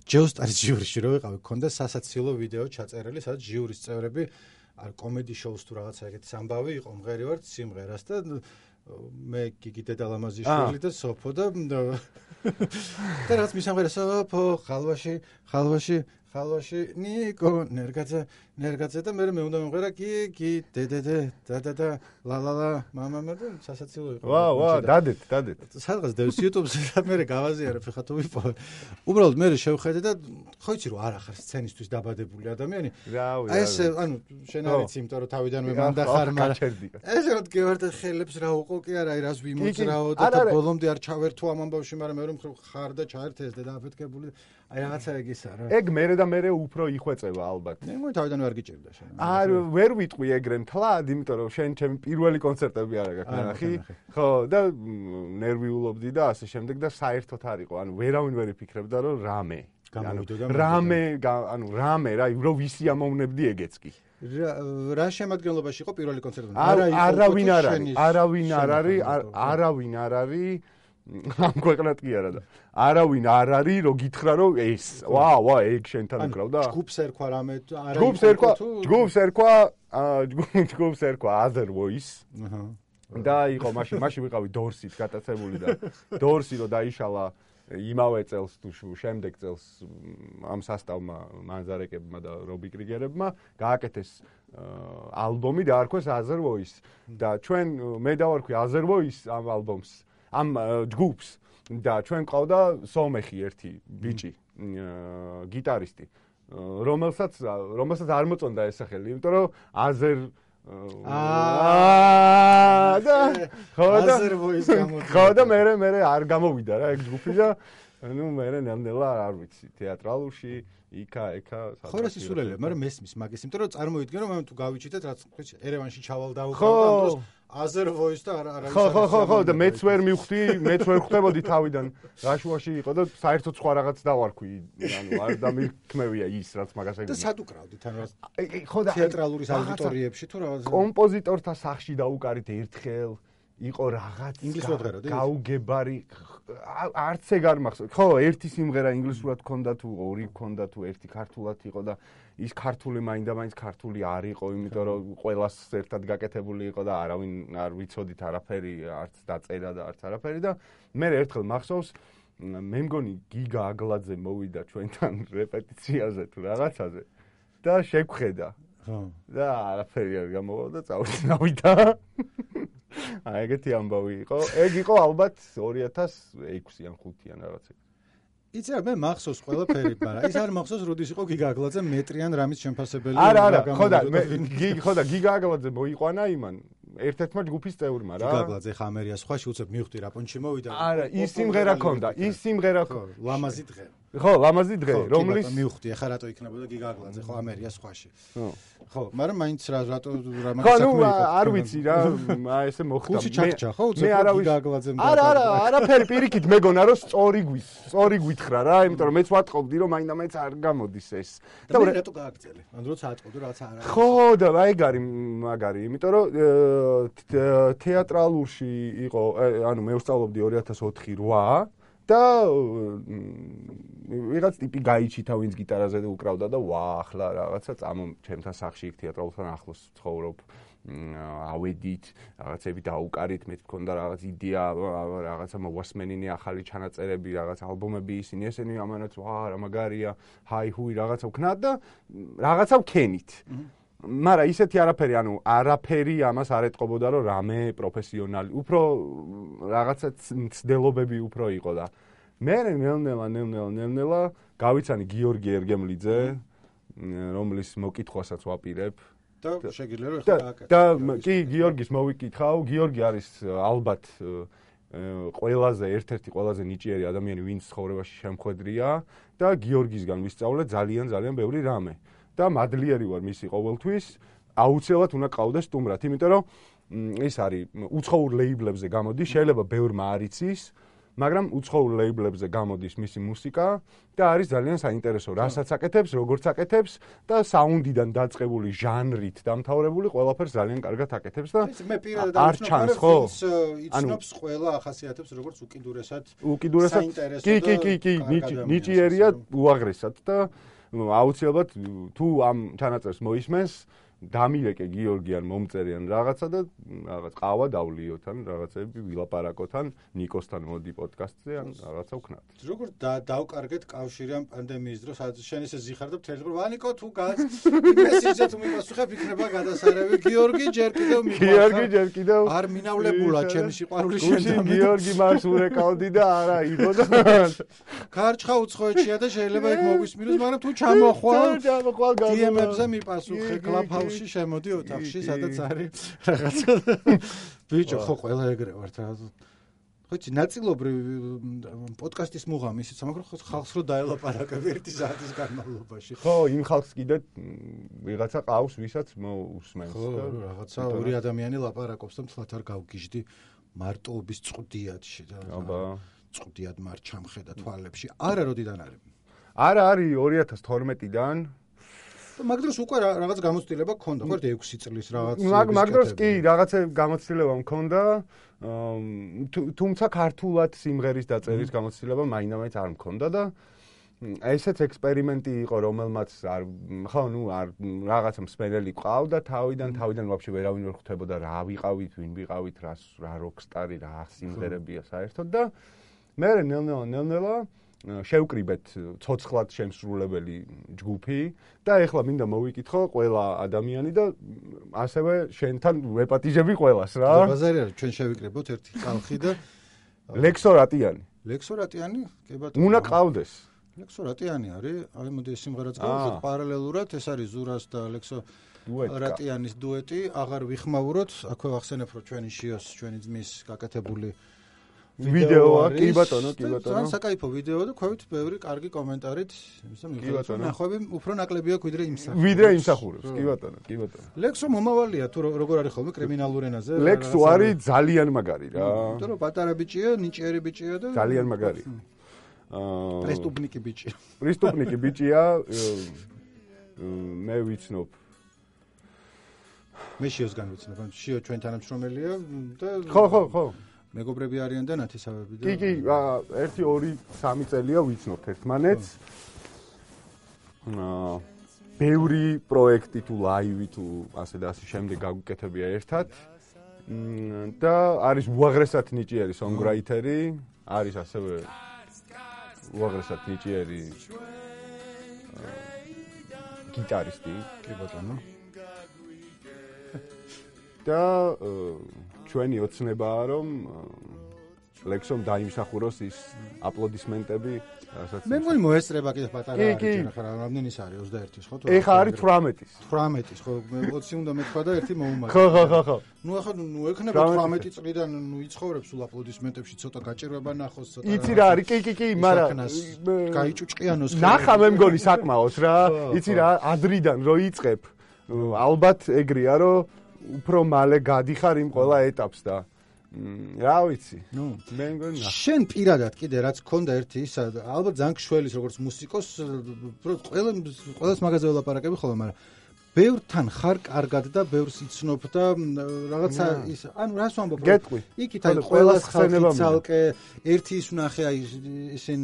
ჯეოსტარის ჟიურიში რო ვიყავი, ქონდა სასაცილო ვიდეო ჩაწერილი, სადაც ჟიურის წევრები არ კომედი შოუს თუ რაღაცა ეგეთი ამბავი იყო, მღერი ვარ სიმღერას და მე გიგი დედალამაზიშვილი და სოფო და რაც მისამღერა სოფო ხალვაში ნიკო ნერგაძე და მე უნდა მომღერა გიგი დედედე და ლალალა მამამა და სასაცილო იყო. ვა, დადეთ. სადღაც დევს YouTube-ზე და მე გავაზიარებ ხა თუ ვიპოვე. უბრალოდ მე შევხედე და ხო იცი რომ არ ახარ სცენისთვის დაბადებული ადამიანი. აი ეს ანუ შენ არ იცი, იმიტომ რომ თავიდანვე მანდა ხარ, მაგრამ ეს რა გევარდა ხელებს რა უყო კი არა, აი რას ვიმოძრაო და ბოლომდე არ ჩავერთო ამ ამბავში, მაგრამ მე რომ ხარ და ჩაერთეს და დააფეთქებული. აი რაღაცა ეგ ისა რა. ეგ მერე და მერე უფრო იხვეწება ალბათ. მე თავიდანვე არ გიჭირდა შენ. ვერ ვიტყვი ეგრე მთლად, იმიტომ რომ შენ ჩემი პირველი კონცერტები არა გაქვს ნახი. ხო, და ნერვიულობდი და ასე შემდეგ და საერთოდ არ იყო. ანუ ვერავინ ვერ იფიქრებდა რომ რამე რა, რომ ვისი ამოვნებდი ეგეც კი. რა შემადგენლობაში იყო პირველი კონცერტი? არავინ არ არის ამ ქვეყნად კი არა და არავინ არ არის რომ გითხრა რომ ეს ვა ეგ შენთან უკრავდა ჯგუფს ერქვა რამე ჯგუფს ერქვა Other Voice და იყო მაშინ ვიყავი დორსით გატაცებული და დორსი რომ დაიშალა იმავე წელს თუ შემდეგ წელს ამ სასტავმა მანზარეკებმა და რობი კრიგერებმა გააკეთეს ალბომი დაარქვეს Other Voice და ჩვენ მე დავარქვი Other Voice ამ ალბომს ამ ჯგუფს და ჩვენ ყავდა სომეხი ერთი ბიჭი გიტარისტი რომელსაც არ მოწონდა ეს სახელი იმიტომ რომ Other ხო და მე არ გამოვიდა რა ეგ ჯგუფი და ნუ მე ნელ-ნელა არ ვიცი თეატრალურში იქა ხო რა სისულელია მაგრამ მესმის მაგის იმიტომ რომ წარმოიდგინო მე თუ გავიჩიტეთ რაც ერევანში ჩავალ დაუყავდა Other Voice და არა ხო და მეც ვერ ხვდებოდი თავიდან რაშუაში იყო და საერთოდ სხვა რაღაც დავარქვი ანუ არ დამიქმევია ის რაც მაგას ეგ და სად უკრავდით ანუ ხო და თეატრალურის აუდიტორიებში თუ რაღაც კომპოზიტორთა სახში დაუკარით ერთხელ იყო რაღაც ინგლისურად ღეროდი გაუგებარი არც ეგ არ მახსოვს ხო ერთი სიმღერა ინგლისურად ქონდა თუ ორი ქონდა თუ ერთი ქართულად იყო და ის ქართული მაინდა-მაინც ქართული არ იყო იმიტომ რომ ყველას ერთად გაკეთებული იყო და არავინ არ ვიცოდით არაფერი არც დაწერა და არც არაფერი და მე ერთხელ მახსოვს მე მგონი გიგა აგლაძე მოვიდა ჩვენთან რეპეტიციაზე თუ რაღაცაზე და შეგვხედა ხო და არაფერი არ გამოვა და წავიდა ეგეთი ამბავი იყო. ეგ იყო ალბათ 2006 ან 5 ან რაღაცა. იცი რა მე მახსოვს ყველაფერი, მაგრამ ის არ მახსოვს როდის იყო გიგა აგლაძე მეტრიან რამის შემფასებელი. არა, ხო და გიგა აგლაძე მოიყვანა იმან ერთ-ერთმა ჯგუფის წევრმა რა. გიგა აგლაძე ხა ამერია სხვაში უცებ მივხვდი რა პონჩი მოვიდა. არა, ის სიმღერა ქონდა, ლამაზი დღე. ხო, ლამაზი დღე, რომლის მივხვდი, ახლა რატო იქნებოდა გიგა აგლაძე ხო ამერია სხვაში. ხო, მაგრამ მაინც რატო რამაც საქმე იყო. ხო, არ ვიცი რა, ესე მოხდა. ხუთი ჩახჭა ხო, უცებ გიგა აგლაძემ. არაფერი პირიქით მეგონა რომ სწორი გვითხრა რა, იმიტომ რომ მეც ვატყობდი რომ მაინდა-მაინც არ გამოდის ეს. და მე რატო გააგრძელე? ანუ როცა ატყობდი რაღაც არა. ხო, და აი მაგარი, იმიტომ რომ თეატრალურში იყო, ანუ მე ვსწავლობდი 2004-8 და ვიღაც ტიპი გაიჩითა ვინც გიტარაზე უკრავდა და ახლა რაღაცა ჩემთან სახში იქ თეატრალურთან ახლოს ცხოვრობ ავედით რაღაცები დაუკარით მე მქონდა რაღაც იდეა რაღაცა მოვასმენინე ახალი ჩანაწერები რაღაც ალბომები ისინი ამანაც რა მაგარია ჰაი-ჰუი რაღაცა ვქნათ და რაღაცა ვქენით მაგრამ ისეთი არაფერი, ანუ არაფერი ამას არ ეტყობოდა, რომ რამე პროფესიონალი, უფრო რაღაცა ცდელობები უფრო იყო და მე ნელ-ნელა გავიცანი გიორგი ერგემლიძე, რომლის მოკითხვასაც ვაპირებ და შეგიძლია რომ ეხლა გააკეთო. და კი გიორგის მოვიკითხავ, გიორგი არის ალბათ ერთ-ერთი ყველაზე ნიჭიერი ადამიანი, ვინც ცხოვრებაში შემხვედრია და გიორგისგან ვისწავლე ძალიან ბევრი რამე. და მადლიერი ვარ მისი ყოველთვის, აუცილებლად უნდა ყავდეს სტუმრად, იმიტომ რომ ის არის უცხოურ ლეიბლებზე გამოდის, შეიძლება ბევრმა არ იცის, მაგრამ უცხოურ ლეიბლებზე გამოდის მისი მუსიკა და არის ძალიან საინტერესო, რასაც აკეთებს, როგორც აკეთებს და საუნდიდან დაწყებული ჟანრით დამთავრებული ყველაფერს ძალიან კარგად აკეთებს და მე პირადად არ ჩანს, ხო? იცნობს ყველა ახასიათებს როგორც უკიდურესად საინტერესო კი, ნიჭიერია უაღრესად და აუცილებლად თუ ამ ჩანაწერს მოისმენს დამირეკე გიორგიან მომწერიან რაღაცა და რაღაც ყავა დავლიოთ ან რაღაცები ვილაპარაკოთ ან ნიკოსთან მოდი პოდკასტზე ან რაღაცა ვქნათ. როგორ დავკარგეთ კავშირი ამ პანდემიის დროს, შენ ესე ზიხარ და მთელი ვანიკო თუ მესიჯზე თუ მიპასუხებ იქნება გადასარევი გიორგი ჯერ კიდევ არ მინავლებულა ჩემი სიყვარული შენთან. გიორგი მას ურეკავდი და არა იყო და ქარჩხა უცხოეთშია და შეიძლება იქ მოგვისმინოს, მაგრამ თუ ჩამოხვალ DM-ებზე მიპასუხე კლაფ შემოდი ოთახში, სადაც არის რაღაცა. ბიჭო, ხო ყველა ეგრე ვართ რა. ხო იცი, ნაწილობრივ პოდკასტის მუღამი ისიც, მაგრამ ხო ხალხს რო დაელაპარაკებ 1 საათის განმავლობაში. ხო, იმ ხალხს კიდე ვიღაცა ყავს, ვისაც მოусმენს და რაღაცა ორი ადამიანი ლაპარაკობს და მთლად არ გავგიჟდი მარტოობის წვდიადში და წვდიად მარ ჩამხედა თვალებში. არა როდიდან არის? არა არის 2012-დან. მაგ დროს უკვე რაღაც გამოცდილება გქონდა, ხო 6 წლის რაღაც. მაგ დროს კი რაღაცა გამოცდილება მქონდა, თუმცა ქართულად სიმღერის დაწერის გამოცდილება მაინდა-მაინც არ მქონდა და ესეც ექსპერიმენტი იყო, რომელმაც არ რაღაცა მსმენელი ყავდა თავიდან ვაფშე ვერავინ ვერ ხვდებოდა რა ვიყავით, ვინ ვიყავით, რა როკსტარი, რა სიმღერებია საერთოდ და მე ნელ-ნელა შევკრიბეთ ცოცხლად შემსრულებელი ჯგუფი და ეხლა მინდა მოვიკითხო ყველა ადამიანი და ასევე შენთან ვეპატიჟები ყველას რა. ბაზარი არის, ჩვენ შევიკრიბოთ ერთი ხალხი და ლექსორატიანი. ლექსორატიანი? კი ბატონო. უნდა ყავდეს. ლექსორატიანი არის, აი მოდი ეს სიმღერაც გავუშვათ პარალელურად, ეს არის ზურას და ლექსორატიანის დუეტი, აღარ ვიხმაუროთ, აქვე ვახსენებ რომ ჩვენი შიოს, ჩვენი ძმის გაკეთებული ვიდეოა, კი ბატონო, კი ბატონო. ძალიან საკაიფო ვიდეო და ქვევით ბევრი კარგი კომენტარით, ისე მიხარია. ნახვები უფრო ნაკლები აქვს ვიდრე იმსახურებს. კი ბატონო, კი ბატონო. ლექსო მომავალია თუ როგორ არის ხოლმე კრიმინალურ ენაზე? ლექსო არის ძალიან მაგარი რა. იმიტომ რომ პატარა ბიჭია, ნიჭიერი ბიჭია და ძალიან მაგარი. პრესტუპნიკი ბიჭია. პრესტუპნიკი ბიჭია. მე ვიცნობ. მე შიოსგან ვიცნობ. შიო ჩვენ თანამშრომელია და ხო. მეგობრები არიან და ნათესავები და კი, 1 2 3 წელია ვიცნობთ ერთმანეთს. ბევრი პროექტი თუ ლაივი თუ ასე და ასე შემდეგ გაგვიკეთებია ერთად. და არის უაღრესად ნიჭიერი სონგრაითერი, არის ასევე უაღრესად ნიჭიერი გიტარისტი, კი ბატონო. და ჩვენი ოცნებაა რომ ლექსომ დაიმსახუროს ის აპლოდისმენტები, რასაც მე მგონი მოესწრება კიდე პატარა არის ხარ რამდენის არის 21-ის ხო თუ ეხა არის 18-ის 18-ის ხო მე 20 უნდა მეთქვა და ერთი მოუმართე ხო ნუ ახლა ნუ ექნება 18 წლიდან ნუ იცხოვრებს სულ აპლოდისმენტებში ცოტა გაჭირვება ნახოს ცოტა იცი რა არის კი მაგრამ გაიჭუჭყიანოს ნახა მე მგონი საკმაოდ რა იცი რა ადრიდან რო იწყებ ალბათ ეგრეა რომ უფრო მალე გადიხარ იმ ყველა ეტაპს და რა ვიცი ნუ მე მგონი შენ პირადად კიდე რაც გქონდა ერთი ისა ალბათ ძალიან გშველის როგორც მუსიკოს ყველას მაგაზე ველაპარაკები ხოლმე მაგრამ ბევრთან ხარ კარგად და ბევრს იცნობ და რაღაცა ის ანუ რას ვამბობ იქით აი ყველას ხალხი ცალკე ერთი ის ვნახე აი ისენ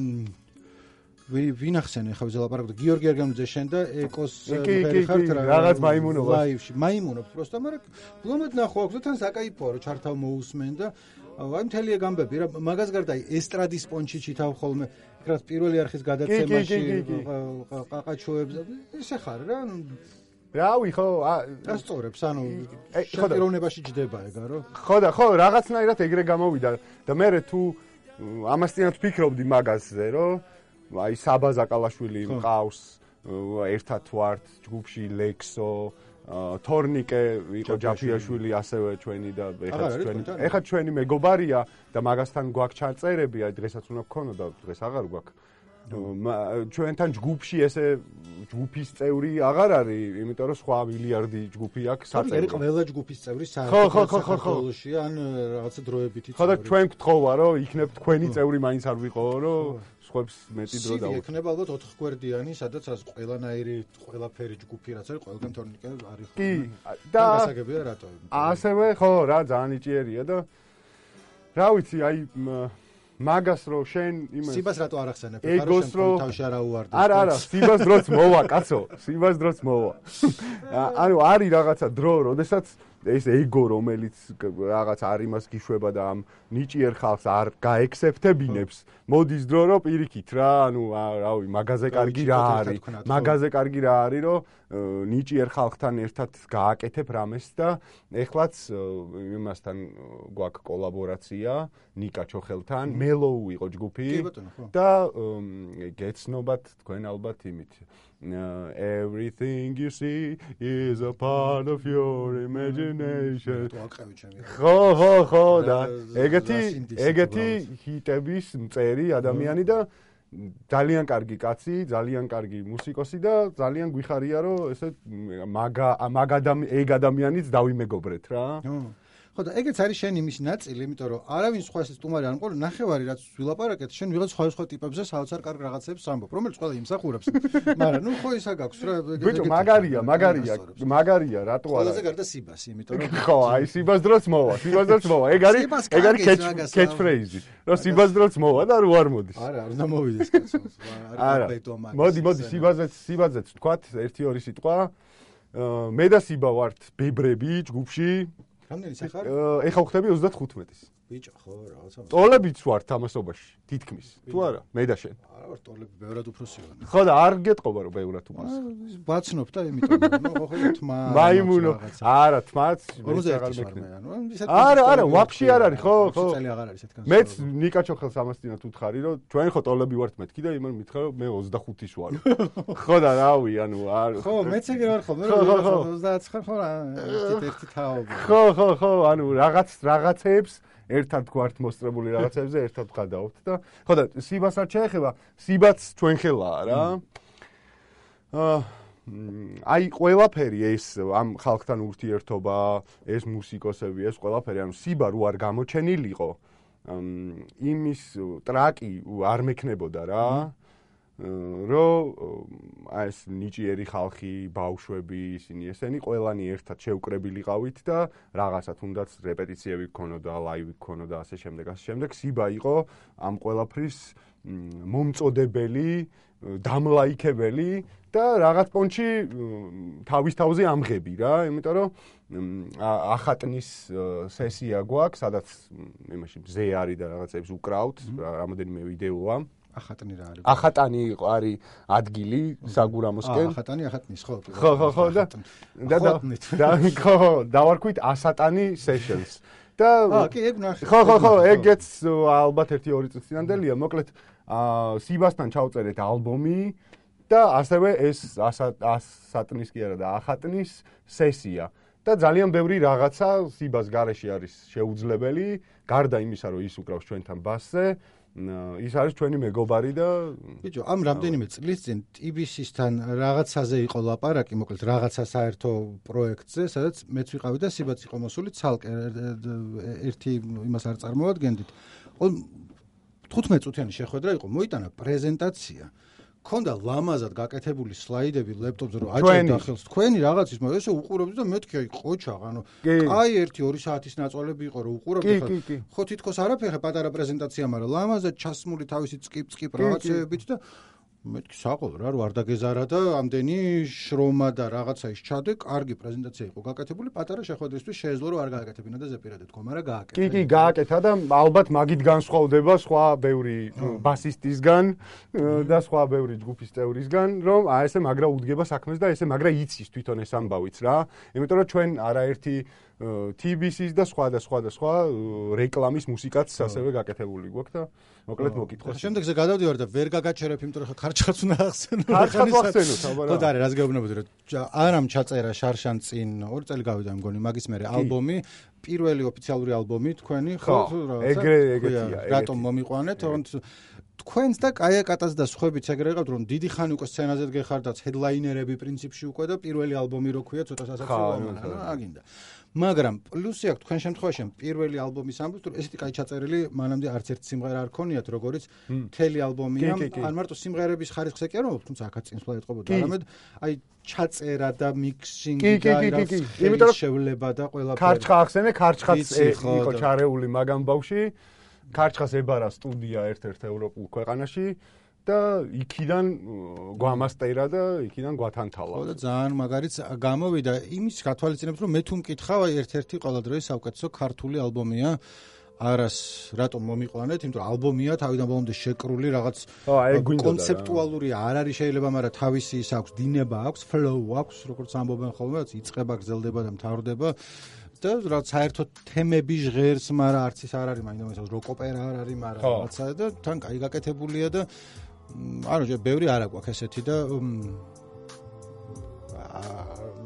ვინ ახსენე ხა ველაპარაკობ გიორგი ერგანუძე შენ და ეკოს ფერი ხართ რაღაც მაიმუნობა ლაივში მაიმუნობს პროსტა მაგრამ ბლომად ნახო აქვს და თან საკაიფოა რომ ჩართავ მოусმენ და აი მთელი ეგამბები რა მაგას გარდა აი ესტრადის პონჩი ჩითავ ხოლმე რაც პირველი არხის გადაცემაში ყაყაჩოებს ესე ხარ რა რავი ხო ასწორებს ანუ შეტიროვნებაში ჯდება ეგა რო ხო რაღაცნაირად ეგრე გამოვიდა და მე თუ ამასთანავე ვფიქრობდი მაგაზე რომ აი საბა ზაკალაშვილი მყავს ერთად ვართ ჯგუფში ლექსო თორნიკე იყო ჯაფიაშვილი ასევე ჩვენი და ეხლა ჩვენი მეგობარია და მაგასთან გვაქვს ჩარწერები აი დღესაც უნდა გქონოდა დღეს აღარ გვაქვს ჩვენთან ჯგუფში ესე ჯგუფის წევრი აღარ არის იმიტომ რომ სხვა მილიარდი ჯგუფი აქვს საწევრი ყველა ჯგუფის წევრი საქართველოში ან რაღაცა დროებითი ხო და ჩვენ გთხოვა რომ იქნებ თქვენი წევრი მაინც არ ვიყო რომ სხვებს მეტი დრო და იქნება ალბათ 4 გვერდიანი სადაც ყველანაირი ყველაფერი ჯგუფი რაც არის ყველგან თორნიკე არის კი და გასაგებია რატო ასევე ხო რა ძალიან იჭიერია და რა ვიცი აი მაგას რო შენ იმას სიბას რატო არ ახსენებ ხარ შენ თავში არა უვარდეს არა სიბას დროც მოვა კაცო სიბას დროც მოვა ანუ არის რაღაცა დრო როდესაც ეს ეგო რომელიც რაღაც არ იმას გიშვება და ამ ნიჭიერ ხალხს არ გაექსეფტებინებს მოდის დრო რომ პირიქით რა ანუ რავი მაგაზე კარგი რა არის მაგაზე კარგი რა არის რომ ნიჭიერ ხალხთან ერთად გააკეთებ რამეს და ეხლაც იმასთან გვაქვს კოლაბორაცია ნიკა ჩოხელთან მელოუ იყო ჯგუფი და გეცნობათ თქვენ ალბათ იმით everything you see is a part of your imagination ხო და ეგეთი ჰიტების მწერი ადამიანი და ძალიან კარგი კაცი, ძალიან კარგი მუსიკოსი და ძალიან გვიხარია რომ ესე ეგ ადამიანიც დავიმეგობრეთ რა. ხო და ეგეც არის შენ იმის ნაწილი, იმიტომ რომ არავინ სხვა ეს სტუმარი არ მყოლ ნახევარი რაც ვილაპარაკეთ, შენ ვიღაც სხვა ტიპებზე საოცარ კარგ რაღაცებს ამბობ, რომელიც ყველა იმსახურებს. მაგრამ ნუ ხო ისა გაქვს რა. ბიჭო, მაგარია, რატო არა? ყველაზე გარდა სიბას, იმიტომ რომ ხო, აი სიბას დროც მოვა. ეგ არის catch phrase. რომ სიბას დროც მოვა და რო არ მოდის. არა, არ უნდა მოვიდეს კაცო. არა, მოდი, სიბაზეც ვთქვათ, 1-2 სიტყვა. მე და სიბა ვართ ბებრები ჯგუფში. რამდენი სახარ? ეხა ვხდები 35-ის. ბიჭო ხო რაღაცა ტოლებიც ვარ თამასობაში თითქმის თუ არა მე და შენ არა ვარ ტოლები ბევრად უფროსი ვარ ხო და არ გეტყობა რომ ბევრად უფროსი ბაცნობ და იმიტომ ნუ ხო თმა მაიმუნო არა თმაც 50 ვარ მე ანუ არა ვაფშე არ არის ხო წელი აღარ არისეთქან მეც ნიკა ჩოხელს ამასთანაც უთხარი რომ ჩვენ ხო ტოლები ვართ მეთქი და იმან მითხრა რომ მე 25-ის ვარ ხო და რავი ანუ არ ხო მეც ეგრე ვარ ხო მე 29 ხარ ხო ერთი თაობა ხო ანუ რაღაცეებს ერთად გვართ მოსწრებული რაღაცებზე ერთად ვღადაობთ და ხო და სიბას არ შეეხება სიბაც ჩვენ ხელაა რა აი ყველაფერი ეს ამ ხალხთან ურთიერთობა ეს მუსიკოსები ეს ყველაფერი ანუ სიბა რო არ გამოჩენილიყო იმის ტრაკი არ მექნებოდა რა რომ აი ეს ნიჭიერი ხალხი ბავშვები ისინი ესენი ყველანი ერთად შეუკრებილიყავით და რაღაცა თუნდაც რეპეტიციები გქონოდა ლაივი გქონოდა ასე შემდეგ სიბა იყო ამ ყველაფრის მომწოდებელი დამლაიქებელი და რაღაც პონჩი თავის თავზე ამღები რა იმიტომ რომ ახატნის სესია გვაქვს სადაც იმაში მზე არის და რაღაცებს უკრავთ რამოდენიმე ვიდეოა ახატანი რა არის? ახატანი არის ადგილი საგურამოსკენ. ახატნის ხო. ხო და ხო დავარქვით ასატანი sessions. და კი ეგ ნახე. ხო ეგეც ალბათ 1-2 წუთი წინანდელია. მოკლედ სიბასთან ჩავწერეთ ალბომი და ასევე ეს ასატნის კი არა და ახატნის სესია. და ძალიან ბევრი რაღაცა სიბას გარეშე არის შეუძლებელი, გარდა იმისა, რომ ის უკრავს ჩვენთან ბასზე. ის არის ჩვენი მეგობარი და ბიჭო, ამ რამდენიმე წლის წინ TBC-სთან რაღაცაზე იყო ლაპარაკი, მოკლედ რაღაცა საერთო პროექტზე, სადაც მეც ვიყავი და სიბაც იყო მოსული ცალკე ერთი იმას არ წარმოადგენდით. 15 წუთიანი შეხვედრა იყო, მოიტანა პრეზენტაცია. ქონდა ლამაზად გაკეთებული სლაიდები ლეპტოპზე რომ აჭერდა ხელს თქვენი რაღაცის მაგრამ ესე უყურებდი და მეთქი აი ყოჩაღ ანუ აი 1-2 საათის ნაწოლები იყო რომ უყურებდი ხო თითქოს არაფერი ხა პატარა პრეზენტაცია მაგრამ ლამაზად ჩასმული თავისი წკიპ რაღაცეებით და მეთქი საყოლა რა რო არ დაგეზარა და ამდენი შრომა და რაღაცა ის ჩადე კარგი პრეზენტაცია იყო გაკეთებული პატარა შეხვედრისთვის შეეძლო რომ არ გააკეთებინა და ზეპირად თქო მაგრამ გააკეთა კი გააკეთა და ალბათ მაგით განსხვავდება სხვა ბევრი ბასისტისგან და სხვა ბევრი ჯგუფის წევრისგან რომ აი ესე მაგრა უდგება საქმეს და ესე მაგრა იცის თვითონ ეს ამბავიც რა იმიტომ რომ ჩვენ არაერთი TBC-ის და სხვა რეკლამის მუსიკაც ასევე გაკეთებული გვაქვს და მოკლედ მოკითხოს. შემდეგზე გადავდივარ და ვერ გაგაჩერებ, იმიტომ რომ ხარჩხაც უნდა ახსენო. ხარჩხაც ახსენოთ, აბა რა. ხო და არის, რას გეუბნებოდი, რომ არამ ჩაწერა შარშან წინ 2 წელი გავიდა მგონი, მაგის მერე ალბომი, პირველი ოფიციალური ალბომი თქვენი, ხო, ეგრეცია. რატომ მომიყვანეთ? თქვენს და კაიაკატას და სხვაებიც ეგრე იყავთ, რომ დიდი ხანი უკვე სცენაზე გეხარდათ, ჰედლაინერები პრინციპში უკვე და პირველი ალბომი რო ქვია, ცოტა სასაცილოა, აგინდა. მაგრამ პლუსი აქვს თქვენ შემთხვევაში პირველი ალბომის ამბობს, რომ ესეთი კაი ჩაწერილი მანამდე არც ერთ სიმღერა არ ქონიათ, როგორიც მთელი ალბომია, ან მარტო სიმღერების ხარისხზე კი არ მომობ, თუმცა აქაც წინსვლა ეტყობოდა, არამედ აი ჩაწერა და მიქსინგი და იმის შევლება და ყველაფერი. ქარჩხა ახსენე, ქარჩხაც იყო ჩარეული მაგამ ბავში. ქარჩხას ებარა სტუდია ერთ-ერთ ევროპულ ქვეყანაში და იქიდან გვამასტერა და იქიდან გვათანთალა. ხო და ძალიან მაგარიც გამოვიდა იმის გათვალისწინებთ რომ მე თუ მკითხავ აი ერთ-ერთი ყველა დროის საუკეთესო ქართული ალბომია არას რატომ მომიყვანეთ იმიტომ რომ ალბომია თავიდან ბოლომდე შეკრული რაღაც კონცეპტუალური არ არის შეიძლება მაგრამ თავისი ის აქვს დინება აქვს flow აქვს როგორც ამბობენ ხოლმე რაც იწყება გრძელდება და მთავრდება და რაც საერთოდ თემები ჟღერს მაგრამ არც ის არ არის მაინც როკ-ოპერა არ არის მაგრამ რაღაცა და თან კაი გაკეთებულია და ანუ ბევრი არა გვაქვს ესეთი და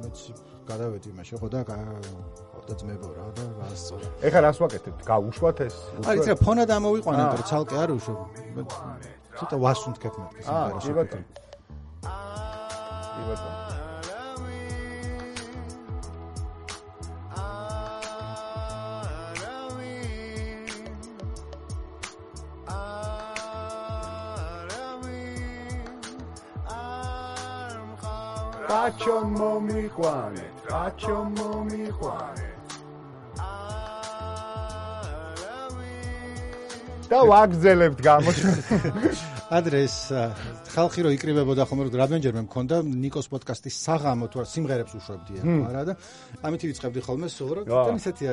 მეც გადავედი იმაში ხო და და ძმებო რა და გასწორა. ეხლა რას ვაკეთებთ? გავუშვათ ეს? აი ცოტა ფონად ამოვიყვანეთ რომ ცალკე არ უშვებ. ცოტა ვასუნთქებ მეთქი სიმღერაში. კი ბატონო. Racho momijuane. და ვაგზელებთ გამოჩ. ადრე ეს ხალხი რო იკრიბებოდა ხომ რომ რამდენჯერმე მქონდა ნიკოს პოდკასტის საღამო თუ სიმღერებს უშვებდია არა და ამით ვიწყებდი ხოლმე სულ რომ თან ისეთია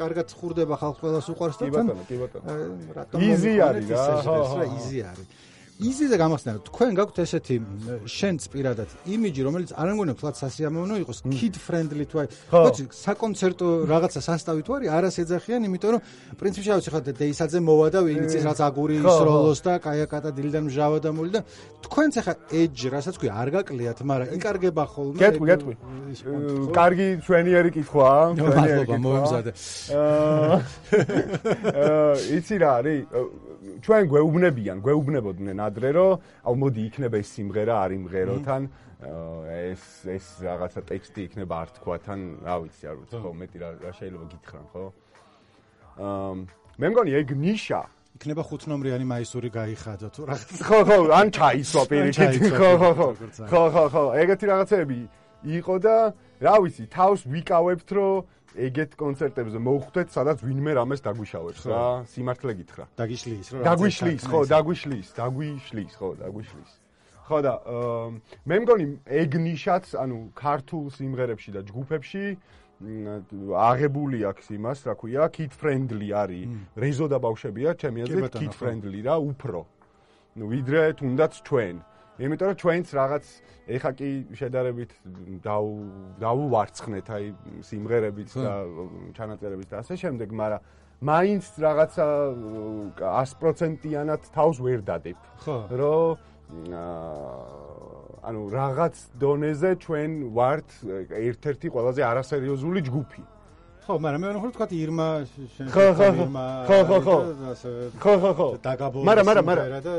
კარგად ხურდება ხალხს ყველას უყვარს და თან კი ბატონო იზი არის რა იზი არის იზიზე გამახსენე თქვენ გაქვთ ესეთი შენც პირადად იმიჯი რომელიც არ ამგონებს თლაც სასიამოვნო იყოს kid friendly თუ აი საკონცერტო რაღაცა სასტავი თუ არის არას ეძახიან იმიტომ რომ პრინციპში ავიცი ხა დეისაძე მოვა და ვინც ის რაც აგური ისროლოს და კაიაკატა დილიდან მჟავა და მული და თქვენც ახლა edge რასაც ქვია არ გაკლიათ მაგრამ იკარგება ხოლმე გეტყვი კარგი ჩვენიერი კითხვაა მადლობა მოემზადე იცი რა არის ჩვენ გვეუბნებოდნენ ადრე რომ აუ მოდი იქნება ეს სიმღერა არ იმღეროთან ეს რაღაცა ტექსტი იქნება არ თქვათან რა ვიცი არ ვიცი ხო მეტი რა შეიძლება გითხრან ხო მე მგონი ეგ ნიშა იქნება 5 ნომრიანი მაისური გაიხადო თუ რაღაც ხო ან ჩაისვა პირიქით ხო ეგეთი რაღაცები იყო და რა ვიცი თავს ვიკავებთ რომ ეგეთ კონცერტებზე მოვხვდეთ, სადაც ვინმე რამეს დაგვიშავებს რა, სიმართლე გითხრა. დაგვიშლის რა. დაგვიშლის. ხო და მე მგონი ეგ ნიშაც, ანუ ქართულ სიმღერებში და ჯგუფებში აღებული აქვს იმას, რა ქვია, kid friendly არის. რეზო და ბავშვებია, ჩემი აზრით kid friendly რა, უფრო. ნუ ვიდრე თუნდაც ჩვენ. იმიტომ რომ ჩვენც რაღაც ეხა კი შედარებით დავუვარცხნეთ აი სიმღერებით და ჩანაწერებით და ასე შემდეგ, მაგრამ მაინც რაღაცა 100%-იანად თავს ვერ დადებ. რომ ანუ რაღაც დონეზე ჩვენ ვართ ერთ-ერთი ყველაზე არასერიოზული ჯგუფი. ხო, მაგრამ მე ვთქვი თქვა ირმა ხო.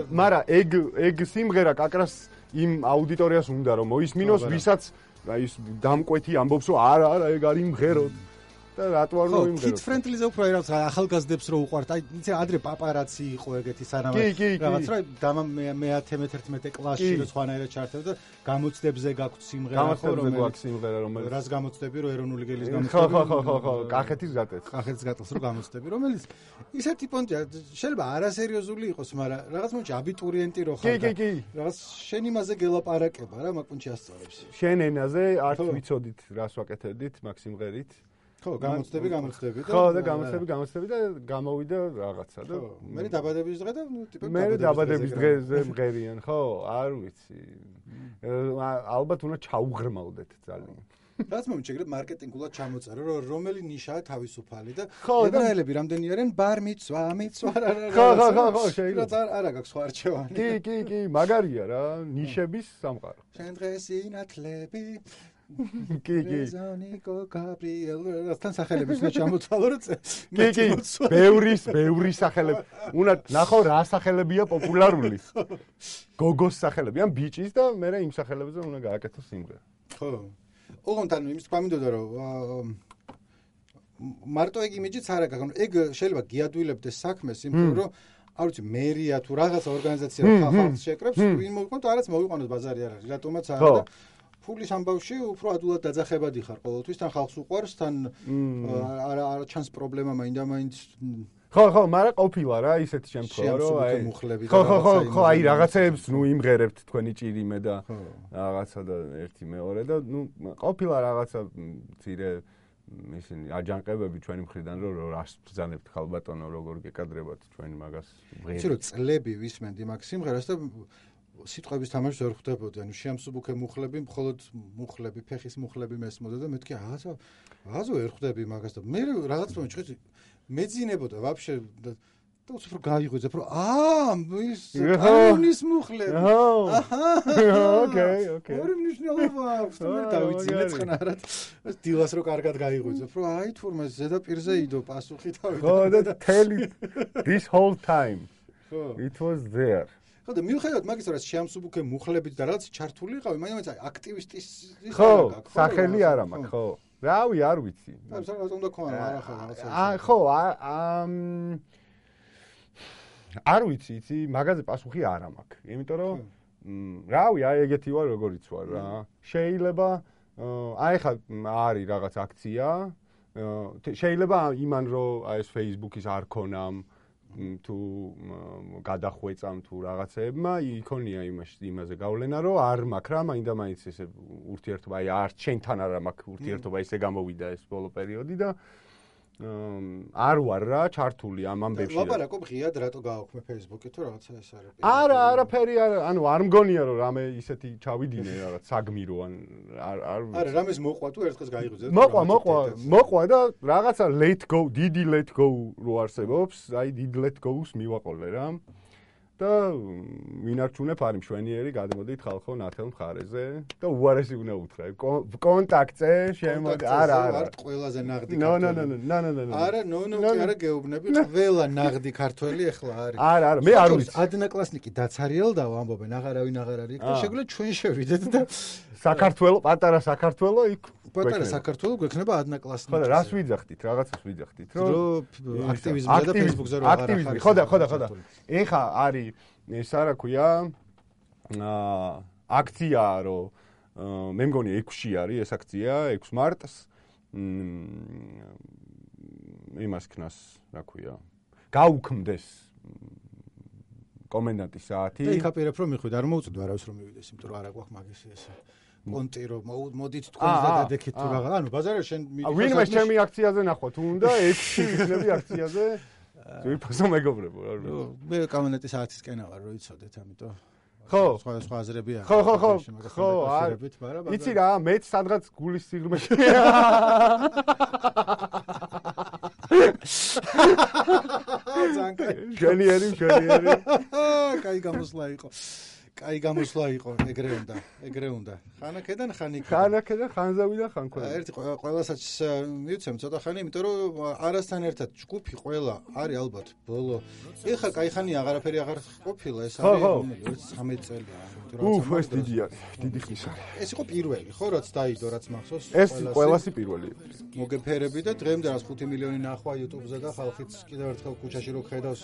მაგრამ ეგ სიმღერა კაკრას იმ აუდიტორიას უნდა რომ მოისმინოს, ვისაც ის დამკვეთი ამბობს რომ არა ეგ არ იმღეროთ. და რატო არ მოიმღეროთ? kid friendly-ზე უფრო რაღაც ახალგაზრდებს რო უყვართ. აი, იცი ადრე პაპარაცი იყო ეგეთი სანამ რაღაც რა მე-11 კლასში რო სხვანაირად ჩართებდა და გამოცდებზე გაქვთ სიმღერა ხო რომელიც სიმღერა რომელიც რას გამოცდები რო ეროვნული გელის გამოცდები ხო კახეთის გატელს რო გამოცდები რომელიც ისეთი პონტია შეიძლება არასერიოზული იყოს მაგრამ რაღაც მომენტში აბიტურიენტი რო ხარ კი რაღაც შენ იმაზე გელაპარაკება რა მაგ პონტში ასწავლებს შენ ენაზე არც ვიცოდით რას ვაკეთებდით მაგ სიმღერით ხო, გამოცდები და ხო და გამოცდები და გამოვიდა რაღაცა და მე დაბადების დღე და ტიპები მე დაბადების დღეზე მღერიან, ხო, არ ვიცი. ალბათ უნდა ჩაუღრმავდეთ ძალიან. რაც მომენტში ეგრე მარკეტინგულად ჩამოწერა, რომ რომელი ნიშაა თავისუფალი და ებრაელები რამდენი არიან ბარმიცვა, ხო, შეიძლება არა გაქვს სხვა არჩევანი. კი, მაგარია რა, ნიშების სამყარო. შენ დღეს ინათლები კი. ზონიკო გაბრიელ რასთან სახელების უნდა ჩამოთვალო რომ კი, ბევრი სახელები. უნდა ნახო რა სახელებია პოპულარული. გოგოს სახელები, ან ბიჭის და მე იმ სახელებზე უნდა გააკეთო სიმღერა. ხო. ოღონდ ანუ იმის თქვა მინდოდა რომ მარტო ეგ იმიჯიც არ აქვს, ეგ შეიძლება გიადვილებდეს საქმეს, იმიტომ რომ არ ვიცი მერია თუ რაღაცა ორგანიზაცია ხალხს შეკრებს, ვინ მოიყვანოთ, არაც მოიყვანოს ბაზარი არ არის, რატომაც არა და ფულის ამბავში უფრო ადულად დაძახებადი ხარ ყოველთვის, თან ხალხს უყვარს, თან არა ჩანს პრობლემა მაინდა-მაინც ხო, მაგრამ ყოფილა რა ისეთი შემთხვევა, რომ აი ხო, აი რაღაცებს ნუ იმღერებთ თქვენი ჭირიმე და რაღაცა და ერთი მეორე და ნუ ყოფილა რაღაცა მცირე ისინი აჯანყებები ჩვენი მხრიდან რომ რას ბრძანებთ ხალბატონო როგორ გეკადრებათ ჩვენი მაგას მღერი. იცი რომ წლები ვისმენდი მაგ სიმღერას და სიტყვების თამაშს ვერ ხვდებოდი, ანუ შეამსუბუქე მუხლები, მხოლოდ მუხლები, ფეხის მუხლები მესმოდა და მეთქი აზო ვერ ხვდები მაგას და მე რაღაც მომენტში მეძინებოდა ვაფშე და უფრო გაიღვიძებ რომ ის აუნის მუხლები ოკეი ორი მნიშვნელობა აქვს და მე დავიძინე წყნარად დილას რო კარგად გაიღვიძებ რომ აი თურმე ზედაპირზე იდო პასუხი თავი ხო და tell this whole time it was there ხო და მიუხედავად მაგის რაც შეამსუბუქე მუხლებით და რაც ჩართული იყავი მაინც აქტივისტის ხო სახელი არა მაქვს ხო რავი არ ვიცი რა უნდა ქონა არა ხო არ ვიცი იცი მაგაზე პასუხი არ მაქვს იმიტომ რომ რავი აი ეგეთი ვარ როგორიც ვარ რა შეიძლება აი ხა არის რაღაც აქცია შეიძლება იმან რომ აი ეს Facebook-ის არ ქონამ თუ გადახვეწამ თუ რაღაცეებმა იქონია იმაზე გავლენა, რომ არ მაქვს რა, მაინდა-მაინც ესე ურთიერთობა, აი არ ჩვენთან არა მაქვს ურთიერთობა, ესე გამოვიდა ეს ბოლო პერიოდი და არ ვარ რა ჩართული ამ ამბებში. ლაპარაკობ ღიად რატო გააქვმე Facebook-ი თუ რაღაცა ეს არის. არაფერი არა, ანუ არ მგონია რომ რამე ისეთი ჩავიდინე რაღაც საგმირო ან არა რამეს მოყვა თუ ერთხელ გაიღვიძე. მოყვა და რაღაცა let go, დიდი let go რო არსებობს, აი დიდ let go-ს მივაყოლე რა. და ვინარჩუნებ არის მშვენიერი, გადმოდით ხალხო ნათელ მხარეზე და უარესი უნდა უთხრა. კონტაქტზე შემოდი. არა. ვარ ყველაზე ნაღდი ქართველი. არა, არა გეუბნები, ყველა ნაღდი ქართველი ახლა არის. არა, მე არ ვიცი. ადნაკლასნიკი დაცარიელდაო ამბობენ, აღარავინ აღარ არის და შეგვიძლია ჩვენ შევიდეთ და საქართველოს, პატარა საქართველოს იქ პატარა საქართველოს გვექნება ადნაკლასნიკი. ხო და რას ვიძახდით? რაღაცას ვიძახდით, რომ აქტივიზმზე და Facebook-ზე რა აღარ არის. ხო. ეხა არის ეს რა ქვია აქცია რომ მე მგონი 6-ში არის ეს აქცია 6 მარტს იმას ქნას რა ქვია გაუქმდეს კომენდანტის საათი და იქ აპირებ რომ მიხვიდე არ მოუწოდო არავის რომ მივიდეს იმიტომ რომ არა გვაქვს მაგის ეს კონტი რომ მოდით თქვენ და დადექით თუ რაღაც ანუ ბაზარში შენ ვინმე ჩემი აქციაზე ნახვა თუ უნდა 6-ში ვიქნები აქციაზე ვიფასო მეგობრებო რა მე კომენდანტის საათისკენა ვარ რომ იცოდეთ ამიტომ ხო სხვა აზრები აქვს ხო იცი რა მეც სადღაც გულის სიღრმეში ჟენიერი კაი გამოსვლა იყო ეგრე უნდა ხანაკედან ხანზავიდან ხანქვა ერთი ყველასაც მივცემ ცოტა ხანი იმიტომ რომ არასთან ერთად ჯგუფი ყველა არის ალბათ ბოლო ეხლა კაი ხანი აღარაფერი აღარ ყოფილა ეს არის 13 წელია ეს დიდი ხის არის ეს იყო პირველი ხო რაც დაიდო რაც მახსოვს ეს ყველასი პირველი მოგეფერები და დღემდე რაც 5 მილიონი ნახვა YouTube-ზე და ხალხიც კიდევ ერთხელ ქუჩაში რო ხედავს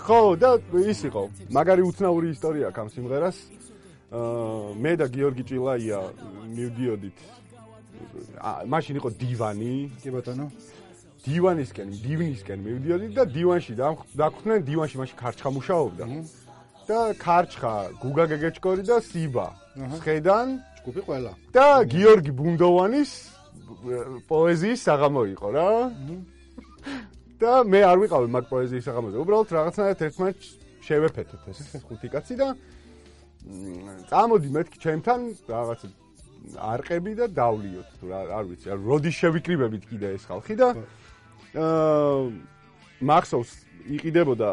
ხო და ის იყო მაგარი უცნაური ისტორია აქვს ამ სიმღერას მე და გიორგი ჭილაია მივდიოდით მაშინ იყო დივანი კი ბატონო დივნისკენ მივდიოდით და დივანში დაგვხდნენ დივანში მაშინ ქარჩხა მუშაობდა და ქარჩხა გუგა გეგეჭკორი და სიბა სხედან ჯგუფი ყველა და გიორგი ბუნდოვანის პოეზიის საღამო იყო რა და მე არ ვიყავი მაგ პოეზიის საღამოზე. უბრალოდ რაღაცნაირად ერთმანეთს შევეფეთეთ ეს ხუთი კაცი და წამოდი მეთქი ჩემთან რაღაც არყები და დავლიოთ თუ არ ვიცი, როდის შევიკრიბებით კიდე ეს ხალხი და მახსოვს იყიდებოდა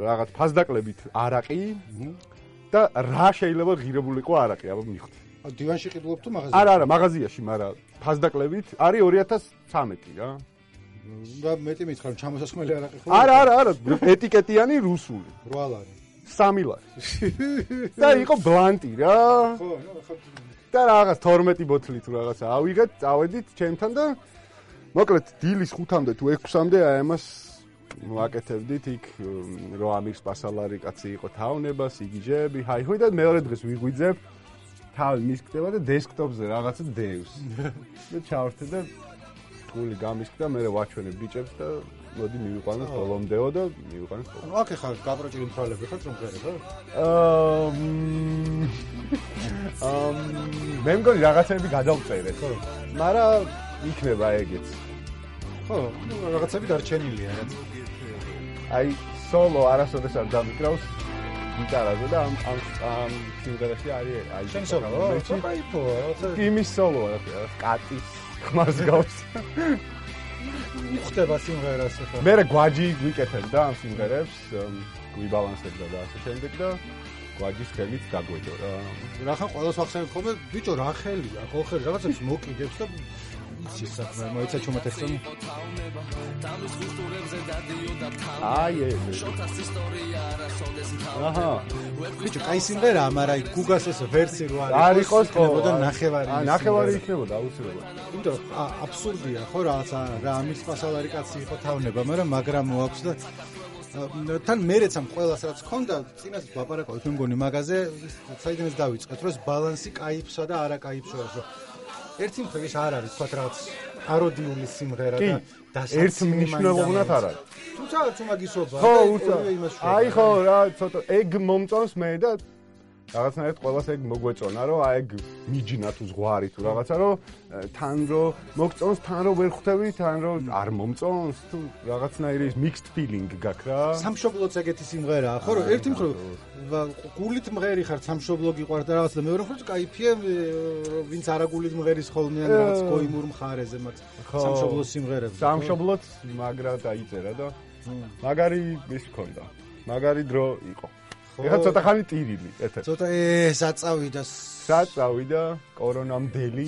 რაღაც ფასდაკლებით არაყი და რა შეიძლება ღირებულიყო არაყი, აბა მიხვდი. დივანში ყიდულობ თუ მაღაზიაში? არა, მაღაზიაში, მაგრამ ფასდაკლებით არის 2013 რა. და მეტი მითხრა რომ ჩამოსასხმელი არაყი ხო? არა, ეტიკეტიანი რუსული. 8 ლარი. 3 ლარი. და იყო ბლანტი რა. ხო, და რაღაც 12 ბოთლი თუ რაღაცა ავიღეთ, წავედით ჩემთან და მოკლედ დილის 5-მდე თუ 6-მდე აი ამას ვაკეთებდით იქ რო ამირს პასალარი კაცი იყო თავნება, სიგიჟეები, ჰაი-ჰოი და მეორე დღეს ვიღვიძებ თავი მისკდება და დესკტოპზე რაღაცა დევს. და ჩავერთე და გული გამისკდა, მე ვაჩვენე ბიჭებს და მოდი მივიყვანოთ ბოლომდეო და მივიყვანოთ. ანუ აქ ხარ გაპროჭილი მთვალები ხარ რომ ღერება? მე მგონი რაღაცები გადავწერე. ხო. მაგრამ იქნება ეგეც. ხო, რაღაცები დარჩენილია რა. აი სოლო არასოდეს არ დამიკრავს გიტარაზე და ამ სიმღერაში არის აი შენ სოლო? კაიფო, იმის სოლოა რა, კატის ხმას გავს. ხდება სიმღერას ახლა. მე გვაჯი ვიკეთებდა ამ სიმღერებს, გვიბალანსებდა და ასე შემდეგ და გვაჯის ხელით დაგვედო რა. რახან ყველას ვახსენებ ხოლმე, ბიჭო რა ხელია, ხო ხელი რაღაცებს მოკიდებს და იცის საქმე, მოიცა ჩუმეთესთან. აი ეს. აჰა. ბიჭო, კაი სიმღერაა, მაგრამ აი გუგას ეს ვერსი რო არის იყოს ხდებოდა ნახევარი. ნახევარი იქნებოდა აუცილებლად. იმიტომ აბსურდია ხო რაღაცა რა ამის პასალარი კაცი იყო თავნება, მაგრამ მოაქვს და თან მერეც ამ ყველას რაც ქონდა, წინას ვაპარაკავთ მე მგონი მაგაზე, საიდანაც დავიწყეთ, რომ ეს ბალანსი კაიფსა და არა კაიფს შორის, რომ ერთი მხრივ ის არ არის თქვა რაღაც პაროდიული სიმღერა და დასაცინი ერთ მნიშვნელოვნად არ არის. თუმცა უმაგისობა ხო, აი ხო რა, ცოტა ეგ მომწონს მე და რაღაცნაირად ყველას ეგ მოგვეწონა, რომ აი ეგ მიჯნა თუ ზღვარი თუ რაღაცა, რომ თან რო მოგწონს, თან რო ვერ ხვდები, თან რო არ მომწონს, თუ რაღაცნაირი mixed feeling გაქვს რა. სამშობლოც ეგეთი სიმღერაა, ხო, რომ ერთი მხრივ გულით მღერი ხარ, სამშობლო გიყვარს და რაღაც და მეორე მხრივ кайფია, ვინც არა გულით მღერის ხოლმე ან რაღაც გოიმურ მხარეზე მათ სამშობლოს სიმღერებს. სამშობლოც მაგრა დაიწერა და მაგარი ის ქონდა. მაგარი დრო იყო. ეხლა ცოტა ხანი ტირილი, ეთერში. ცოტა საწავიდა. საწავიდა კორონამდელი.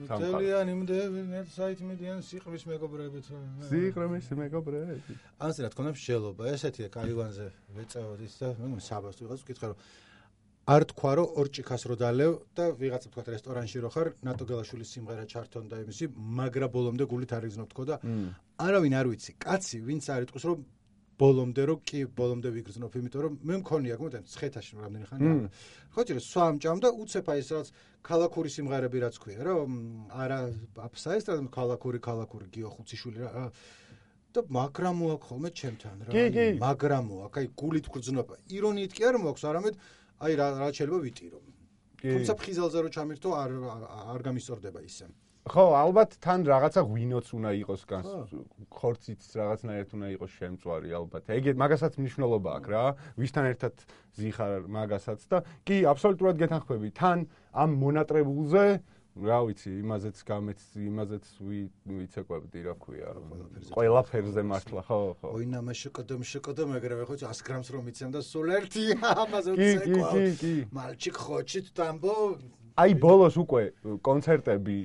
ძალიან იმდები, საით მიდიან სიყრმის მეგობრებით. სიყრმის მეგობრები. ანს რა თქმა უნდა მსჯელობა, ესეთია კაივანზე ვეწევოდ ის და საბას ვიღაც ვკითხე რომ არ თქვა რომ ორჭიქას რო დალევ და ვიღაცა თქვა რესტორანში რო ხარ, ნატო გელაშვილის სიმღერა ჩართონ და იმისი, მაგრა ბოლომდე გულით არ იგზნობ თქო და არავინ არ ვიცი, კაცი ვინც არ იტყვის რომ ბოლომდე რო კი ბოლომდე ვიგრძნობ, იმიტომ რომ მე მქონია გმოდენ ცხეთაში რამდენი ხანია. ხო ჭირე სვამჭამ და უცებ აი ეს რაც ქალაქური სიმღერები რაც ქვია, რომ არა აფსაესტრად ქალაქური გიო ხუციშვილი რა და მაგრა მოაქვს ხოლმე ჩემთან რა. მაგრა მოაქვს, აი გულით გრძნობა. ირონიით კი არ მოაქვს, არამედ აი რა შეიძლება ვიტირო. თუმცა ფხიზელზე რო ჩამირთო არ გამისწორდება ისე. ხო, ალბათ თან რაღაცა ღვინოც უნდა იყოს განს, ხორციც რაღაცნაირად უნდა იყოს შემწვარი ალბათ. ეგეთ მაგასაც მნიშვნელობა აქვს რა. ვისთან ერთად ზიხარ მაგასაც და კი, აბსოლუტურად გეთანხმები. თან ამ მონატრებულზე, რა ვიცი, იმაზეც ვიცეკვებდი, რა ქვია, ყველაფერზე მართლა, ხო. ოინამა შკდ, მაგრამ ხო 100 გრამს რომ იცემ და სულ ერთი ამაზე უცეკვა. მალჩიკ ხოჩით დამბო აი ბოლოს უკვე კონცერტები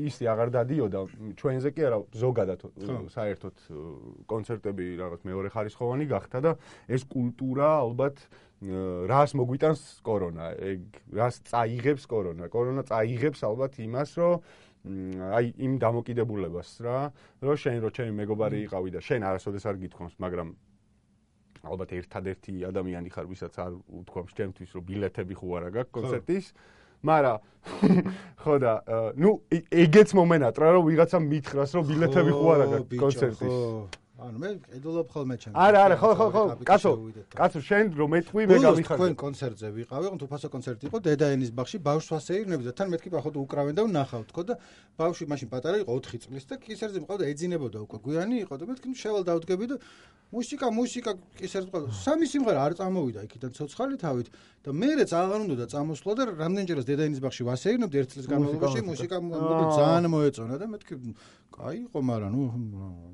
ისი აღარ დადიოდა ჩვენზე კი არა ზოგადად საერთოდ კონცერტები რაღაც მეორე ხარისხოვანი გახდა და ეს კულტურა ალბათ რას მოგვიტანს კორონა ეგ რას წაიღებს კორონა წაიღებს ალბათ იმას რომ აი იმ დამოკიდებულებას რა რომ შენ რო ჩემი მეგობარი იყავი და შენ არასოდეს არ გითხოვს მაგრამ ალბათ ერთადერთი ადამიანი ხარ ვისაც არ უთქვამს ჩემთვის რომ ბილეთები ხო არა გაქვს კონცერტის მაგრამ ხო და ნუ ეგეც მომენატრა რომ ვიღაცა მითხრას რომ ბილეთები ხო არა გაქვს კონცერტის ანუ მე ედოლობ ხოლმე ჩემს არა ხო კაცო შენ რომ ეთქვი მე გამიხარდა თქვენ კონცერტზე ვიყავი თუ ფასო კონცერტი იყო დედაენის ბაღში ბავშვს ვასეირნები და თან მეთქი ახლა უკრავენ და ვნახავ თქო და ბავშვი მაშინ პატარა იყო 4 წლის და კისერზე მყავდა ეძინებოდა უკვე გვიანი იყო და მეთქი შევალ დავდგები და მუსიკა კისერზე მყავდა სამი სიმღერა არ წამოვიდა იქიდან ცოცხალი თავით და მეერეც აღარ უნდა და წამოსვლა და რამდენჯერაც დედაენის ბაღში ვასეირნებდი 1 წლის განმავლობაში მუსიკა ძალიან მოეწონა და მეთქი კაი იყო მაგრამ ნუ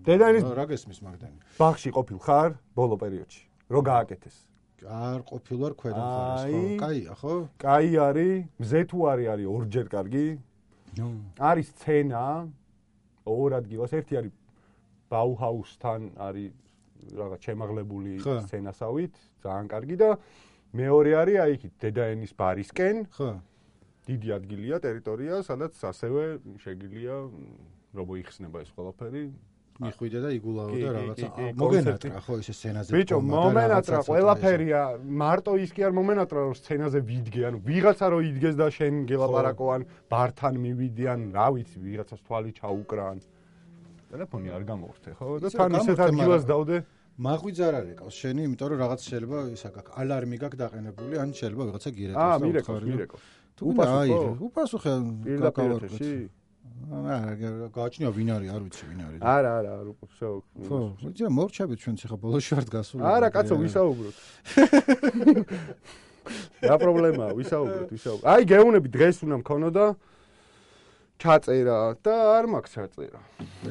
დედაენის რა გესმის მაგდანი ბაღში ყოფილ ხარ ბოლო პერიოდში რო გააკეთეს არ ყოფილ ვარ ქვედა მხარეს ხო კაია ხო კაი არის მზე თუ არის ორჯერ კარგი არის სცენა ორ ადგილას ერთი არის ბაუჰაუსთან არის რაღაც შემაღლებული სცენასავით ძალიან კარგი და მეორე არის აი იქით დედაენის ბარისკენ ხო დიდი ადგილია ტერიტორია სადაც ასევე შეგიძლია რომ მოიხსნება ეს ყველაფერი მიხვიდე და იგულავო და რაღაცა მოგენატრა ხო ისე სცენაზე ბიჭო მომენატრა ყველაფერია მარტო ის კი არ მომენატრა რომ სცენაზე ვიდგე ანუ ვიღაცა რო იდგეს და შენ გელაპარაკოვან ბართან მივიდიან რა ვიცი ვიღაცას თვალი ჩაუკრან ტელეფონი არ გამოვხდე ხო და თან ისეთ ადგილას დავდე მაღვიძ არ არის ყავს შენი იმიტომ რომ რაღაც შეიძლება ისა გაქვს ალარმი გაქვს დაყენებული ან შეიძლება ვიღაცა გირეკოს და მირეკოს თუ აი უპასუხე გაკავარკვეთ არა გააჩნია ვინ არის არ ვიცი ვინ არის არა არ უყურსო ხო იცი მორჩებით ჩვენც ახლა ბოლოში ვართ გასული არა კაცო ვისაუბროთ რა პრობლემაა ვისაუბროთ აი გეუნები დღეს უნდა მქონოდა ჩაწერა და არ მაქვს ჩაწერა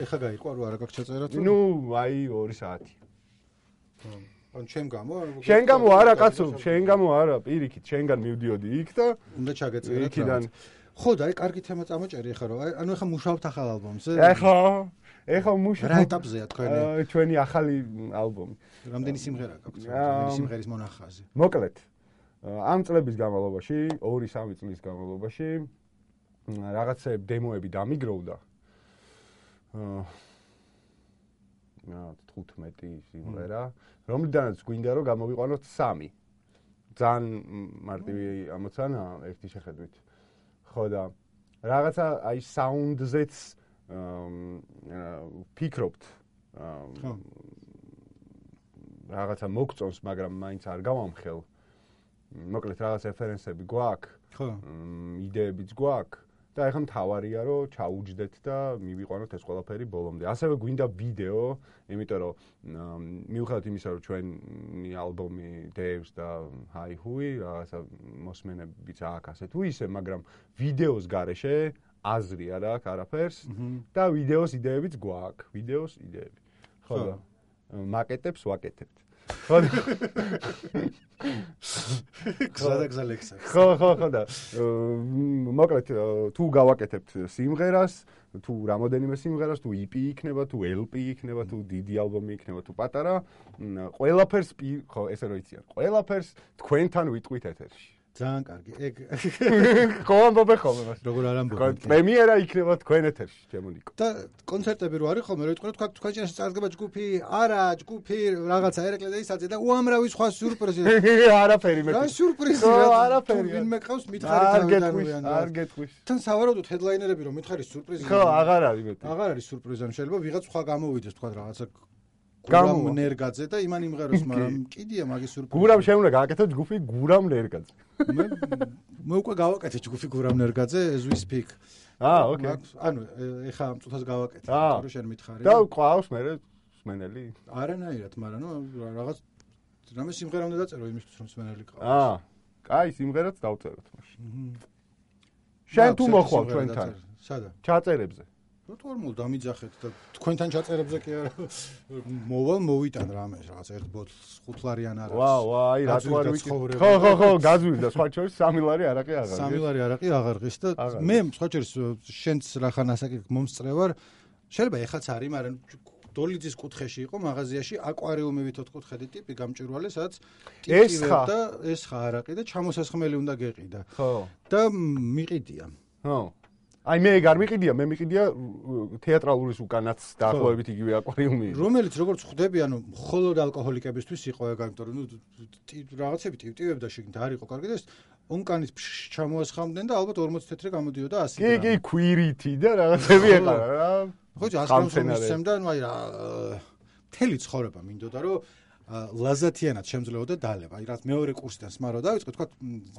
ეხა გაიყვა რა არა გაქვს ჩაწერა თუ ნუ აი 2 საათი ან შენ გამო შენ გამო არა კაცო შენ გამო არა პირიქით შენგან მივდიოდი იქ და უნდა ჩაგეწერა იქიდან ხო და აი კარგი თემა წამოჭერი ახლა რომ ანუ ახლა მუშაობთ ახალ ალბომზე ეხა მუშაობ რა ეტაპზეა ჩვენი ახალი ალბომი რამდენი სიმღერა გაქვთ რამდენი სიმღერის მონახაზი მოკლედ ამ წლების განმავლობაში 2-3 წლის განმავლობაში რაღაცა დემოები დამიგროვდა 15 სიმღერა რომლიდანაც გვინდა რომ გამოვიყვანოთ 3 ძალიან მარტივი ამოცანა ერთი შეხედვით ხო და რაღაცა აი საუნდზეც ფიქრობთ რაღაცა მოგწონს, მაგრამ მაინც არ გავამხელ. მოკლედ რაღაც რეფერენსები გვაქვს, იდეებიც გვაქვს და ეხლა მთავარია რომ ჩაუჯდეთ და მივიყვანოთ ეს ყველაფერი ბოლომდე. ასევე გვინდა ვიდეო, იმიტომ რომ მიუხედავად იმისა, რომ ჩვენი ალბომი დევს და ჰაი-ჰუი, რაღაცა მოსმენებიც აქვს ასე თუ ისე, მაგრამ ვიდეოს გარეშე აზრი არ აქვს არაფერს და ვიდეოს იდეებიც გვაქვს, ვიდეოს იდეები. ხო და მაკეტებს ვაკეთებთ. ხო და გზადაგზა ლექსა. ხო და მოკლედ თუ გავაკეთებთ სიმღერას, თუ რამოდენიმე სიმღერას, თუ EP იქნება, თუ LP იქნება, თუ დიდი ალბომი იქნება, თუ პატარა, ყველაფერს ხო ესე რომ იციან. ყველაფერს თქვენთან ვიტყვით ეთერში. ძალიან კარგი. ეგ ხო ამბობ ხოლმე მას. როგორ არ ამბობ? პრემიერა იქნება თქვენ ეთერში, ჩემო ნიკო. და კონცერტები რო არის ხოლმე, რო იტყვით თქვენ ჩანს წარდგება ჯგუფი, არა, ჯგუფი რაღაცა ერეკლე და ისაცე და უამრავი სხვა სიურპრიზი. არაფერი მე. რა სიურპრიზი? არაფერი. ვინმე ყავს მითხარი თავიდან. არ გეტყვის. თან სავარაუდოდ ჰედლაინერები რომ მითხარი სიურპრიზი. ხო, აღარ არის მეტი. აღარ არის სიურპრიზი, ან შეიძლება ვიღაც სხვა გამოვიდეს თქვა რაღაცა გურამ ნერგაძე და იმან იმღეროს, მაგრამ კიდია მაგის სიურპრიზი. გურამ შეუნა გააკეთო ჯგუფი გურამ ნერგაძე. მე უკვე გავაკეთე ჯგუფი გურამ ნერგაძე as we speak. ოკეი. ანუ ეხა ამ წუთას გავაკეთე, რომ შენ მითხარი. და ყავს მე სმენელი? არანაირად, მაგრამ ნუ რაღაც რამე სიმღერა უნდა დაწერო იმისთვის რომ სმენელი ყავს. კაი, სიმღერაც დავწეროთ მაშინ. შენ თუ მოხვალ ჩვენთან? სადა? ჩაწერებზე. ნორმალ დამიძახეთ და თქვენთან ჩაწერებზე კი არა მოვალ მოვიტან რამე რაღაც ერთ ბოთლს 5 ლარი ან არა. აი რატო არ ვიკითხე. ხო, გაძვირდა სხვა შორის 3 ლარი არაყი აღარ. 3 ლარი არაყი აღარ ღის და მე სხვა შორის შენც რახან ასაკი მომსწრევარ. შეიძლება ეხაც არის, მაგრამ დოლიძის კუთხეში იყო მაღაზიაში აკვარიუმებით 4 კუთხედი ტიპი გამჭვირვალე, სადაც ტიპი და ესხა არაყი და ჩამოსასხმელი უნდა გეყიდა. ხო. და მიყიდია. ხო. აი მე არ მიყიდია, მე მიყიდია თეატრალურის უკანაც დაახლოებით იგივე აკვარიუმი. რომელიც როგორც ხვდები, ანუ მხოლოდ ალკოჰოლიკებისთვის იყო ეგ, იმიტომ რომ რაღაცები ტივტივებდა შეგნით არ იყო კარგი და ეს ონკანის ჩამოასხამდნენ და ალბათ 40 თეთრი გამოდიოდა 100 გრამი. კი, ქვირითი და რაღაცები ეყარა რა. ხო, 100 გრამს მისცემდა, ანუ აი რა მთელი ცხოვრება მინდოდა რომ ლაზათიანად შემძლეოდა დალება. აი რაც მეორე კურსიდან სმარო დავიწყე, თქვა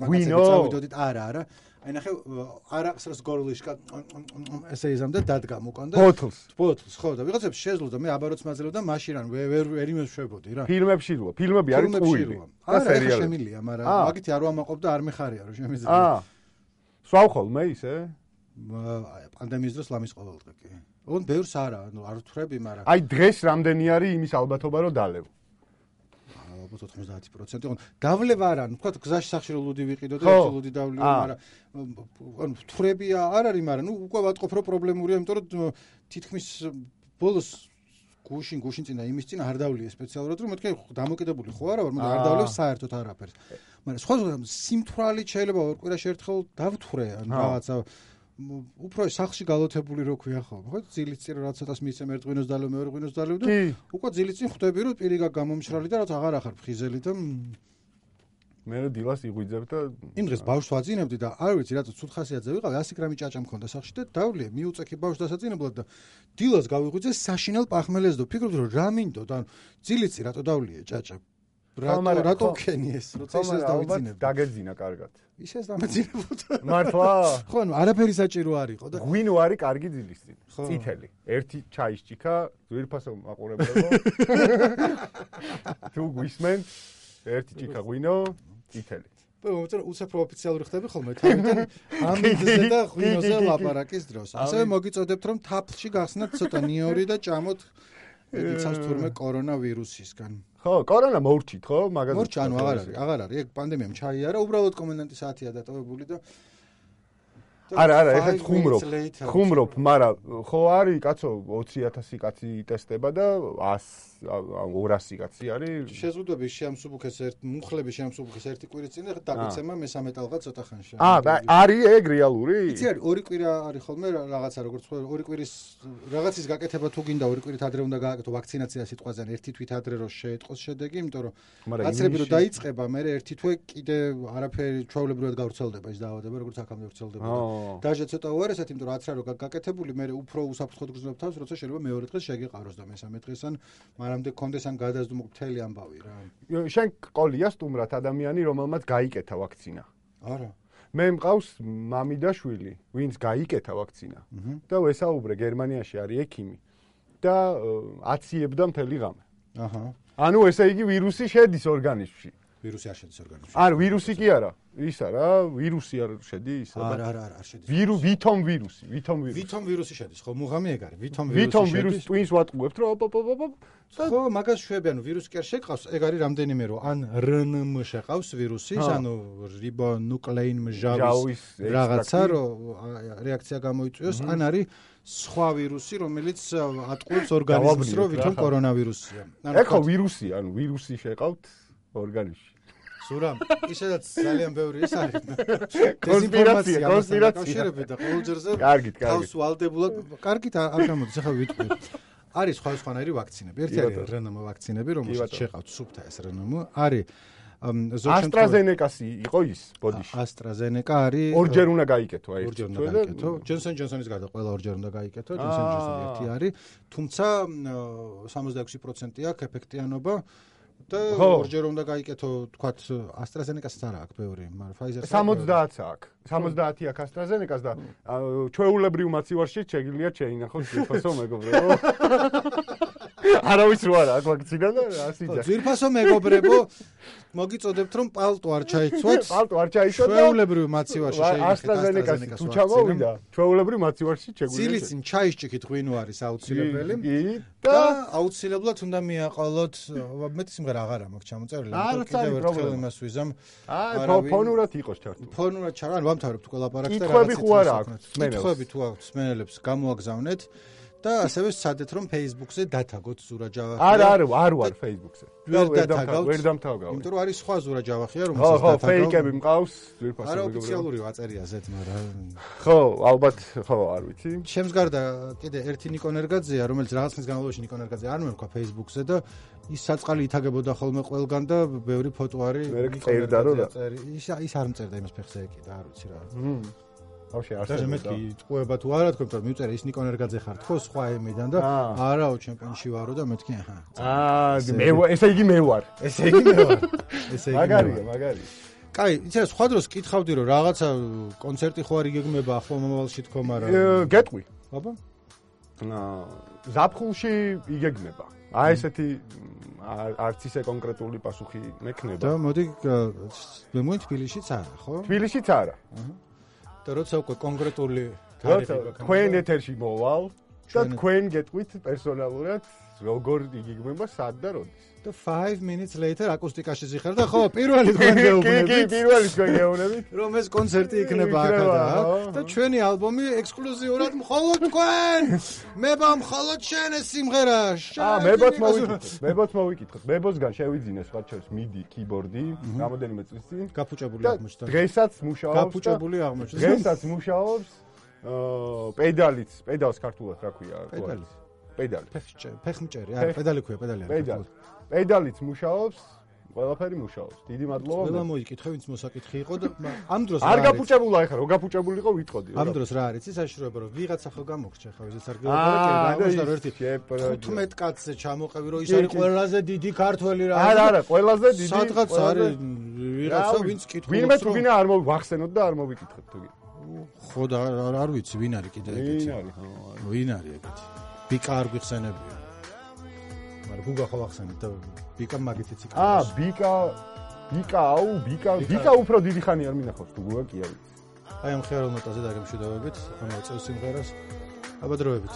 მაგაცები წავიდოდით, არა. აი ნახე არაყს რას გორლიშკა ესე იზამდა დადგა მოკან და ბოთლს, ხო და ვიღაცებს შეძლო და მე აბაროც მაძლევ და მაშინ ან ვერ იმეშვებოდი რა. ფილმებში როა, ფილმები არის ყუილი. და სერიალები შემილია, მაგრამ მაგითი არ ვამაყობ და არ მეხარია რომ შემიძლია. სვავ ხოლმე ისე? პანდემიის დროს ლამის ყოველდღე კი. ოღონდ ბევრს არა, ანუ არ ვთვრები, მაგრამ აი დღეს რამდენი არის იმის ალბათობა რომ დალევ? ალბათ 90%. ოღონდ დავლება არა, ანუ თქვა გზაში სახშირო ლუდი ვიყიდო და ერთი ლუდი დავლეო, მაგრამ ანუ ვთვრები არ არის, მაგრამ ნუ უკვე ვატყობ რომ პრობლემურია, იმიტომ რომ თითქმის ბოლოს გუშინ წინა იმის წინ არ დავლია სპეციალურად, რომ მეთქე დამოკიდებული ხო არა ვარ, მაგრამ არ დავლევ საერთოდ არაფერს. მაგრამ სხვა სიმთვრალით შეიძლება ორ კვირაში ერთხელ დავთვრე, ან რაღაცა უფრო სახლში გალოთებული რო ქვია ხოლმე, ხო? ძილის წინ რა ცოტას მისცემ ერთ ღვინოს დალევ, მეორე ღვინოს დალევ და უკვე ძილის წინ ხვდები რომ პირი გამომშრალი და რაც აღარ ახარ ფხიზელი და მე დილას იღვიძებ და იმ დღეს ბავშვს ვაძინებდი და არ ვიცი რატო ცუდ ხასიათზე ვიყავ 100 გრამი ჭაჭა მქონდა სახლში და დავლიე მიუწექი ბავშვს დასაძინებლად და დილას გავიღვიძე საშინელ პახმელეს და ფიქრობდი რომ რა მინდოდა ანუ ძილის წინ რატო დავლიე ჭაჭა რატო ქენი ეს როცა ისეს დავიძინებ დაგეძინა კარგად ისეს დამეძინებოდა მართლა ხო ანუ არაფერი საჭირო არ იყო და ღვინო არის კარგი ძილის წინ წითელი ერთი ჩაის ჭიქა ძვირფასო მაყურებელო თუ გვისმენ ერთი ჭიქა ღვინო წითელი მოწერ უცებრო ოფიციალური ხდები ხოლმე თავიდან ამ მიზეზზე და ღვინოზე ლაპარაკის დროს ასევე მოგიწოდებთ რომ თაფლში გახსნათ ცოტა ნიორი და ჭამოთ იცავს თურმე კორონავირუსისგან ხო კორონა მორჩით ხო მაგაზე მორჩ ანუ აღარ არის ეგ პანდემიამ ჩაიარა უბრალოდ კომენდანტის საათია დატოვებული და არა ეხლა ხუმრობ მაგრამ ხო არის კაცო 20000 კაცი ტესტება და 200 კაცი არის შეზღუდვები შეამსუბუქეს მუხლები შეამსუბუქეს ერთი კვირის წინ და დაგეცემა მესამე ტალღა ცოტა ხანში არის ეგ რეალური იცი არის ორი კვირა არის ხოლმე რაღაცა როგორც ორი კვირის რაღაცის გაკეთება თუ გინდა ორი კვირით ადრე უნდა გააკეთო ვაქცინაცია სიტყვაზე ერთი თვით ადრე რომ შეეტყოს შედეგი იმიტომ რომ გაცრები რომ დაიწყება მე ერთი თვე კიდე არაფერი ჩვეულებრივად გავრცელდება ის დაავადება როგორც აქამდე ვრცელდება დაჟე ცოტა უარესად, იმიტომ რომ რაც რა რო გაკეთებული, მე უფრო უსაფრთხოდ გრძნობ თავს, როცა შეიძლება მეორე დღეს შეგეყაროს და მესამე დღეს ან მანამდე გქონდეს ან გადაზდუმო მთელი ამბავი რა. შენ ყოლია სტუმრად ადამიანი, რომელმაც გაიკეთა ვაქცინა. არა. მე მყავს მამი და შვილი, ვინც გაიკეთა ვაქცინა. და ვესაუბრე გერმანიაში არის ექიმი და აციებდა მთელი ღამე. აჰა. ანუ ესე იგი ვირუსი შედის ორგანიზმში. ვირუსი არ შედის ორგანიზმში. არ ვირუსი კი არა. ისა რა, ვირუსი არ შედის? არა, არ შედის. ვითომ ვირუსი. ვითომ ვირუსი შედის, ხო, მუღამი ეგ არის. ვითომ ვირუსი twins ვატყუებთ, რომ ხო, მაგას შვები, ანუ ვირუსი კი არ შეყავს, ეგ არის რამდენიმე რომ ან RNM შეყავს ვირუსის, ანუ რიბონუკლეინ მჟავის რაღაცა, რომ რეაქცია გამოიწვიოს, ან არის სხვა ვირუსი, რომელიც ატყუებს ორგანიზმს, რომ ვითომ კორონავირუსია. ეგ ხო ვირუსია, ანუ ვირუსი შეყავთ ორგანიზმში. სურამ, ისედაც ძალიან ბევრი ის არის. კონსპირაცია. და ყოველჯერზე კარგით. თავს ვალდებულად, კარგით არ გამოდის, ახლა ვიტყვი. არის სხვადასხვანაირი ვაქცინები. ერთი არის RNM ვაქცინები, რომელშიც შეყავთ სუფთა ეს RNM. არის AstraZeneca-ი იყო ის ბოდიში. AstraZeneca არის ორჯერ უნდა გაიკეთო აი. ორჯერ უნდა გაიკეთო. Johnson Johnson-ის გარდა ყველა ორჯერ უნდა გაიკეთო. Johnson Johnson ერთი არის, თუმცა 66% აქვს ეფექტიანობა. და ორჯერ უნდა გაიკეთო, თქვათ, AstraZeneca-ს არა აქვს ბევრი, მაგრამ Pfizer-ს 70-ს აქვს. 70 აქვს AstraZeneca-ს და ჩვეულებრივ მაცივარში შეგიძლია შეინახოთ ძვირფასო მეგობრებო. არავის რო არა აქვს ვაქცინა და ასიძა. ძვირფასო მეგობრებო, მოგიწოდებთ რომ პალტო არ ჩაიცვათ. პალტო არ ჩაიცვათ. ჩვეულებრივ მაცივარში შეინახეთ AstraZeneca-ს თუ ჩამოვიდა, ჩვეულებრივ მაცივარში შეგვიძლია. ძილისინ ჩაისჭიქით ღვინო არის აუცილებელი. და აუცილებლად უნდა მიაყოლოთ, მეტი სიმღერა აღარა მაქვს ჩამოწერილი, კიდევ ერთხელ იმას ვიზამ. ფონურად იყოს ჩართული. ფონურად ჩარა, ანუ ვამთავრებთ ყველა ლაპარაკს და კითხვები ხო არა აქვს? კითხვები თუ აქვს მსმენელებს გამოაგზავნეთ და ასევე სცადეთ რომ Facebook-ზე დათაგოთ ზურა ჯავახია. არა, არ ვარ Facebook-ზე. ვერ დამთავრდა. იმიტომ რომ არის სხვა ზურა ჯავახია, ხო, რომელსაც დათაგავ. ფეიკები მყავს, ძვირფასო არა ოფიციალური აწერია ზეთ, მაგრამ ხო, ალბათ ხო, არ ვიცი. ჩემს გარდა კიდე ერთი ნიკონერგაძეა, რომელიც რაღაც ხნის განმავლობაში ნიკონერგაძე არ მერქვა Facebook-ზე და ის საწყალი ითაგებოდა ხოლმე ყველგან და ბევრი ფოტო არის. მე წერდა რომ ის არ მწერდა იმას ფეხზე ეკიდა, არ ვიცი რა. ბავშვი არ და მეთქი წყვება თუ არა თქო, მაგრამ მივწერე ის ნიკონერგაძე ხარ თქო სხვა ემიდან და არაო ჩემპიონში ვარო და მეთქი ესე იგი მე ვარ. ესე იგი მე ვარ. მაგარია. კაი, იცი რა სხვა დროს კითხავდი რომ რაღაცა კონცერტი ხო არ იგეგმება ახლა მომავალში თქო, მაგრამ გეტყვი. აბა? ზაფხულში იგეგმება. აი ესეთი არც ისე კონკრეტული პასუხი მექნება. და მოდი მე მოი თბილისშიც არა, ხო? თბილისშიც არა. და როცა უკვე კონკრეტული თქვენ ეთერში მოვალ და თქვენ გეტყვით პერსონალურად როგორ იგეგმება სად და როდის. და 5 minutes later აკუსტიკაში ზიხარ და ხო პირველი თქვენ გეუბნებით. კი, პირველი თქვენ გეუბნებით. რომ ეს კონცერტი იქნება აქ და ჩვენი ალბომი ექსკლუზიურად მხოლოდ თქვენ. მება მხოლოდ შენ ეს სიმღერა. მებოც მოვიკითხოთ. მებოსგან შევიძინე სხვა შორის MIDI keyboard-ი, რამოდენიმე წლის წინ. გაფუჭებული აღმოჩნდა. დღესაც მუშაობს. გაფუჭებული აღმოჩნდა. დღესაც მუშაობს. პედალს ქართულად რა ქვია? პედალი. ფეხმჭერი, არა, პედალი ქვია, პედალი არა. პედალიც მუშაობს, ყველაფერი მუშაობს. დიდი მადლობა. ყველა მოიკითხე, ვინც მოსაკითხი იყო და ამ დროს არ გაფუჭებულა ეხლა, რო გაფუჭებულიყო ვიტყოდი. ამ დროს რა არის? ის საშუალება რომ ვიღაცა ხო გამოგრჩა ხა, ეს არ გეუბნები, და ერთი 15 კაცზე ჩამოყევი, რომ ის არის ყველაზე დიდი ქართველი რა. არა, ყველაზე დიდი. სადღაც არის ვიღაცა, ვინც კითხულობს. ვინმე არ მოვახსენოთ და არ მოვიკითხოთ თუ კი. ხო და არ ვიცი, ვინ არის კიდე ეგეთი. ვინ არის ეგეთი? ბიკა არ გიხსენებია. მაგრამ გუგა ხო ახსენეთ და ბიკა მაგითიც იქნება. ბიკა უფრო დიდი ხანი არ მინახავს თუ გუგა კი არის. აი ამ ხერალ ნოტაზე დაგემშვიდობებით, ამ წელს სიმღერას. აბა დროებით.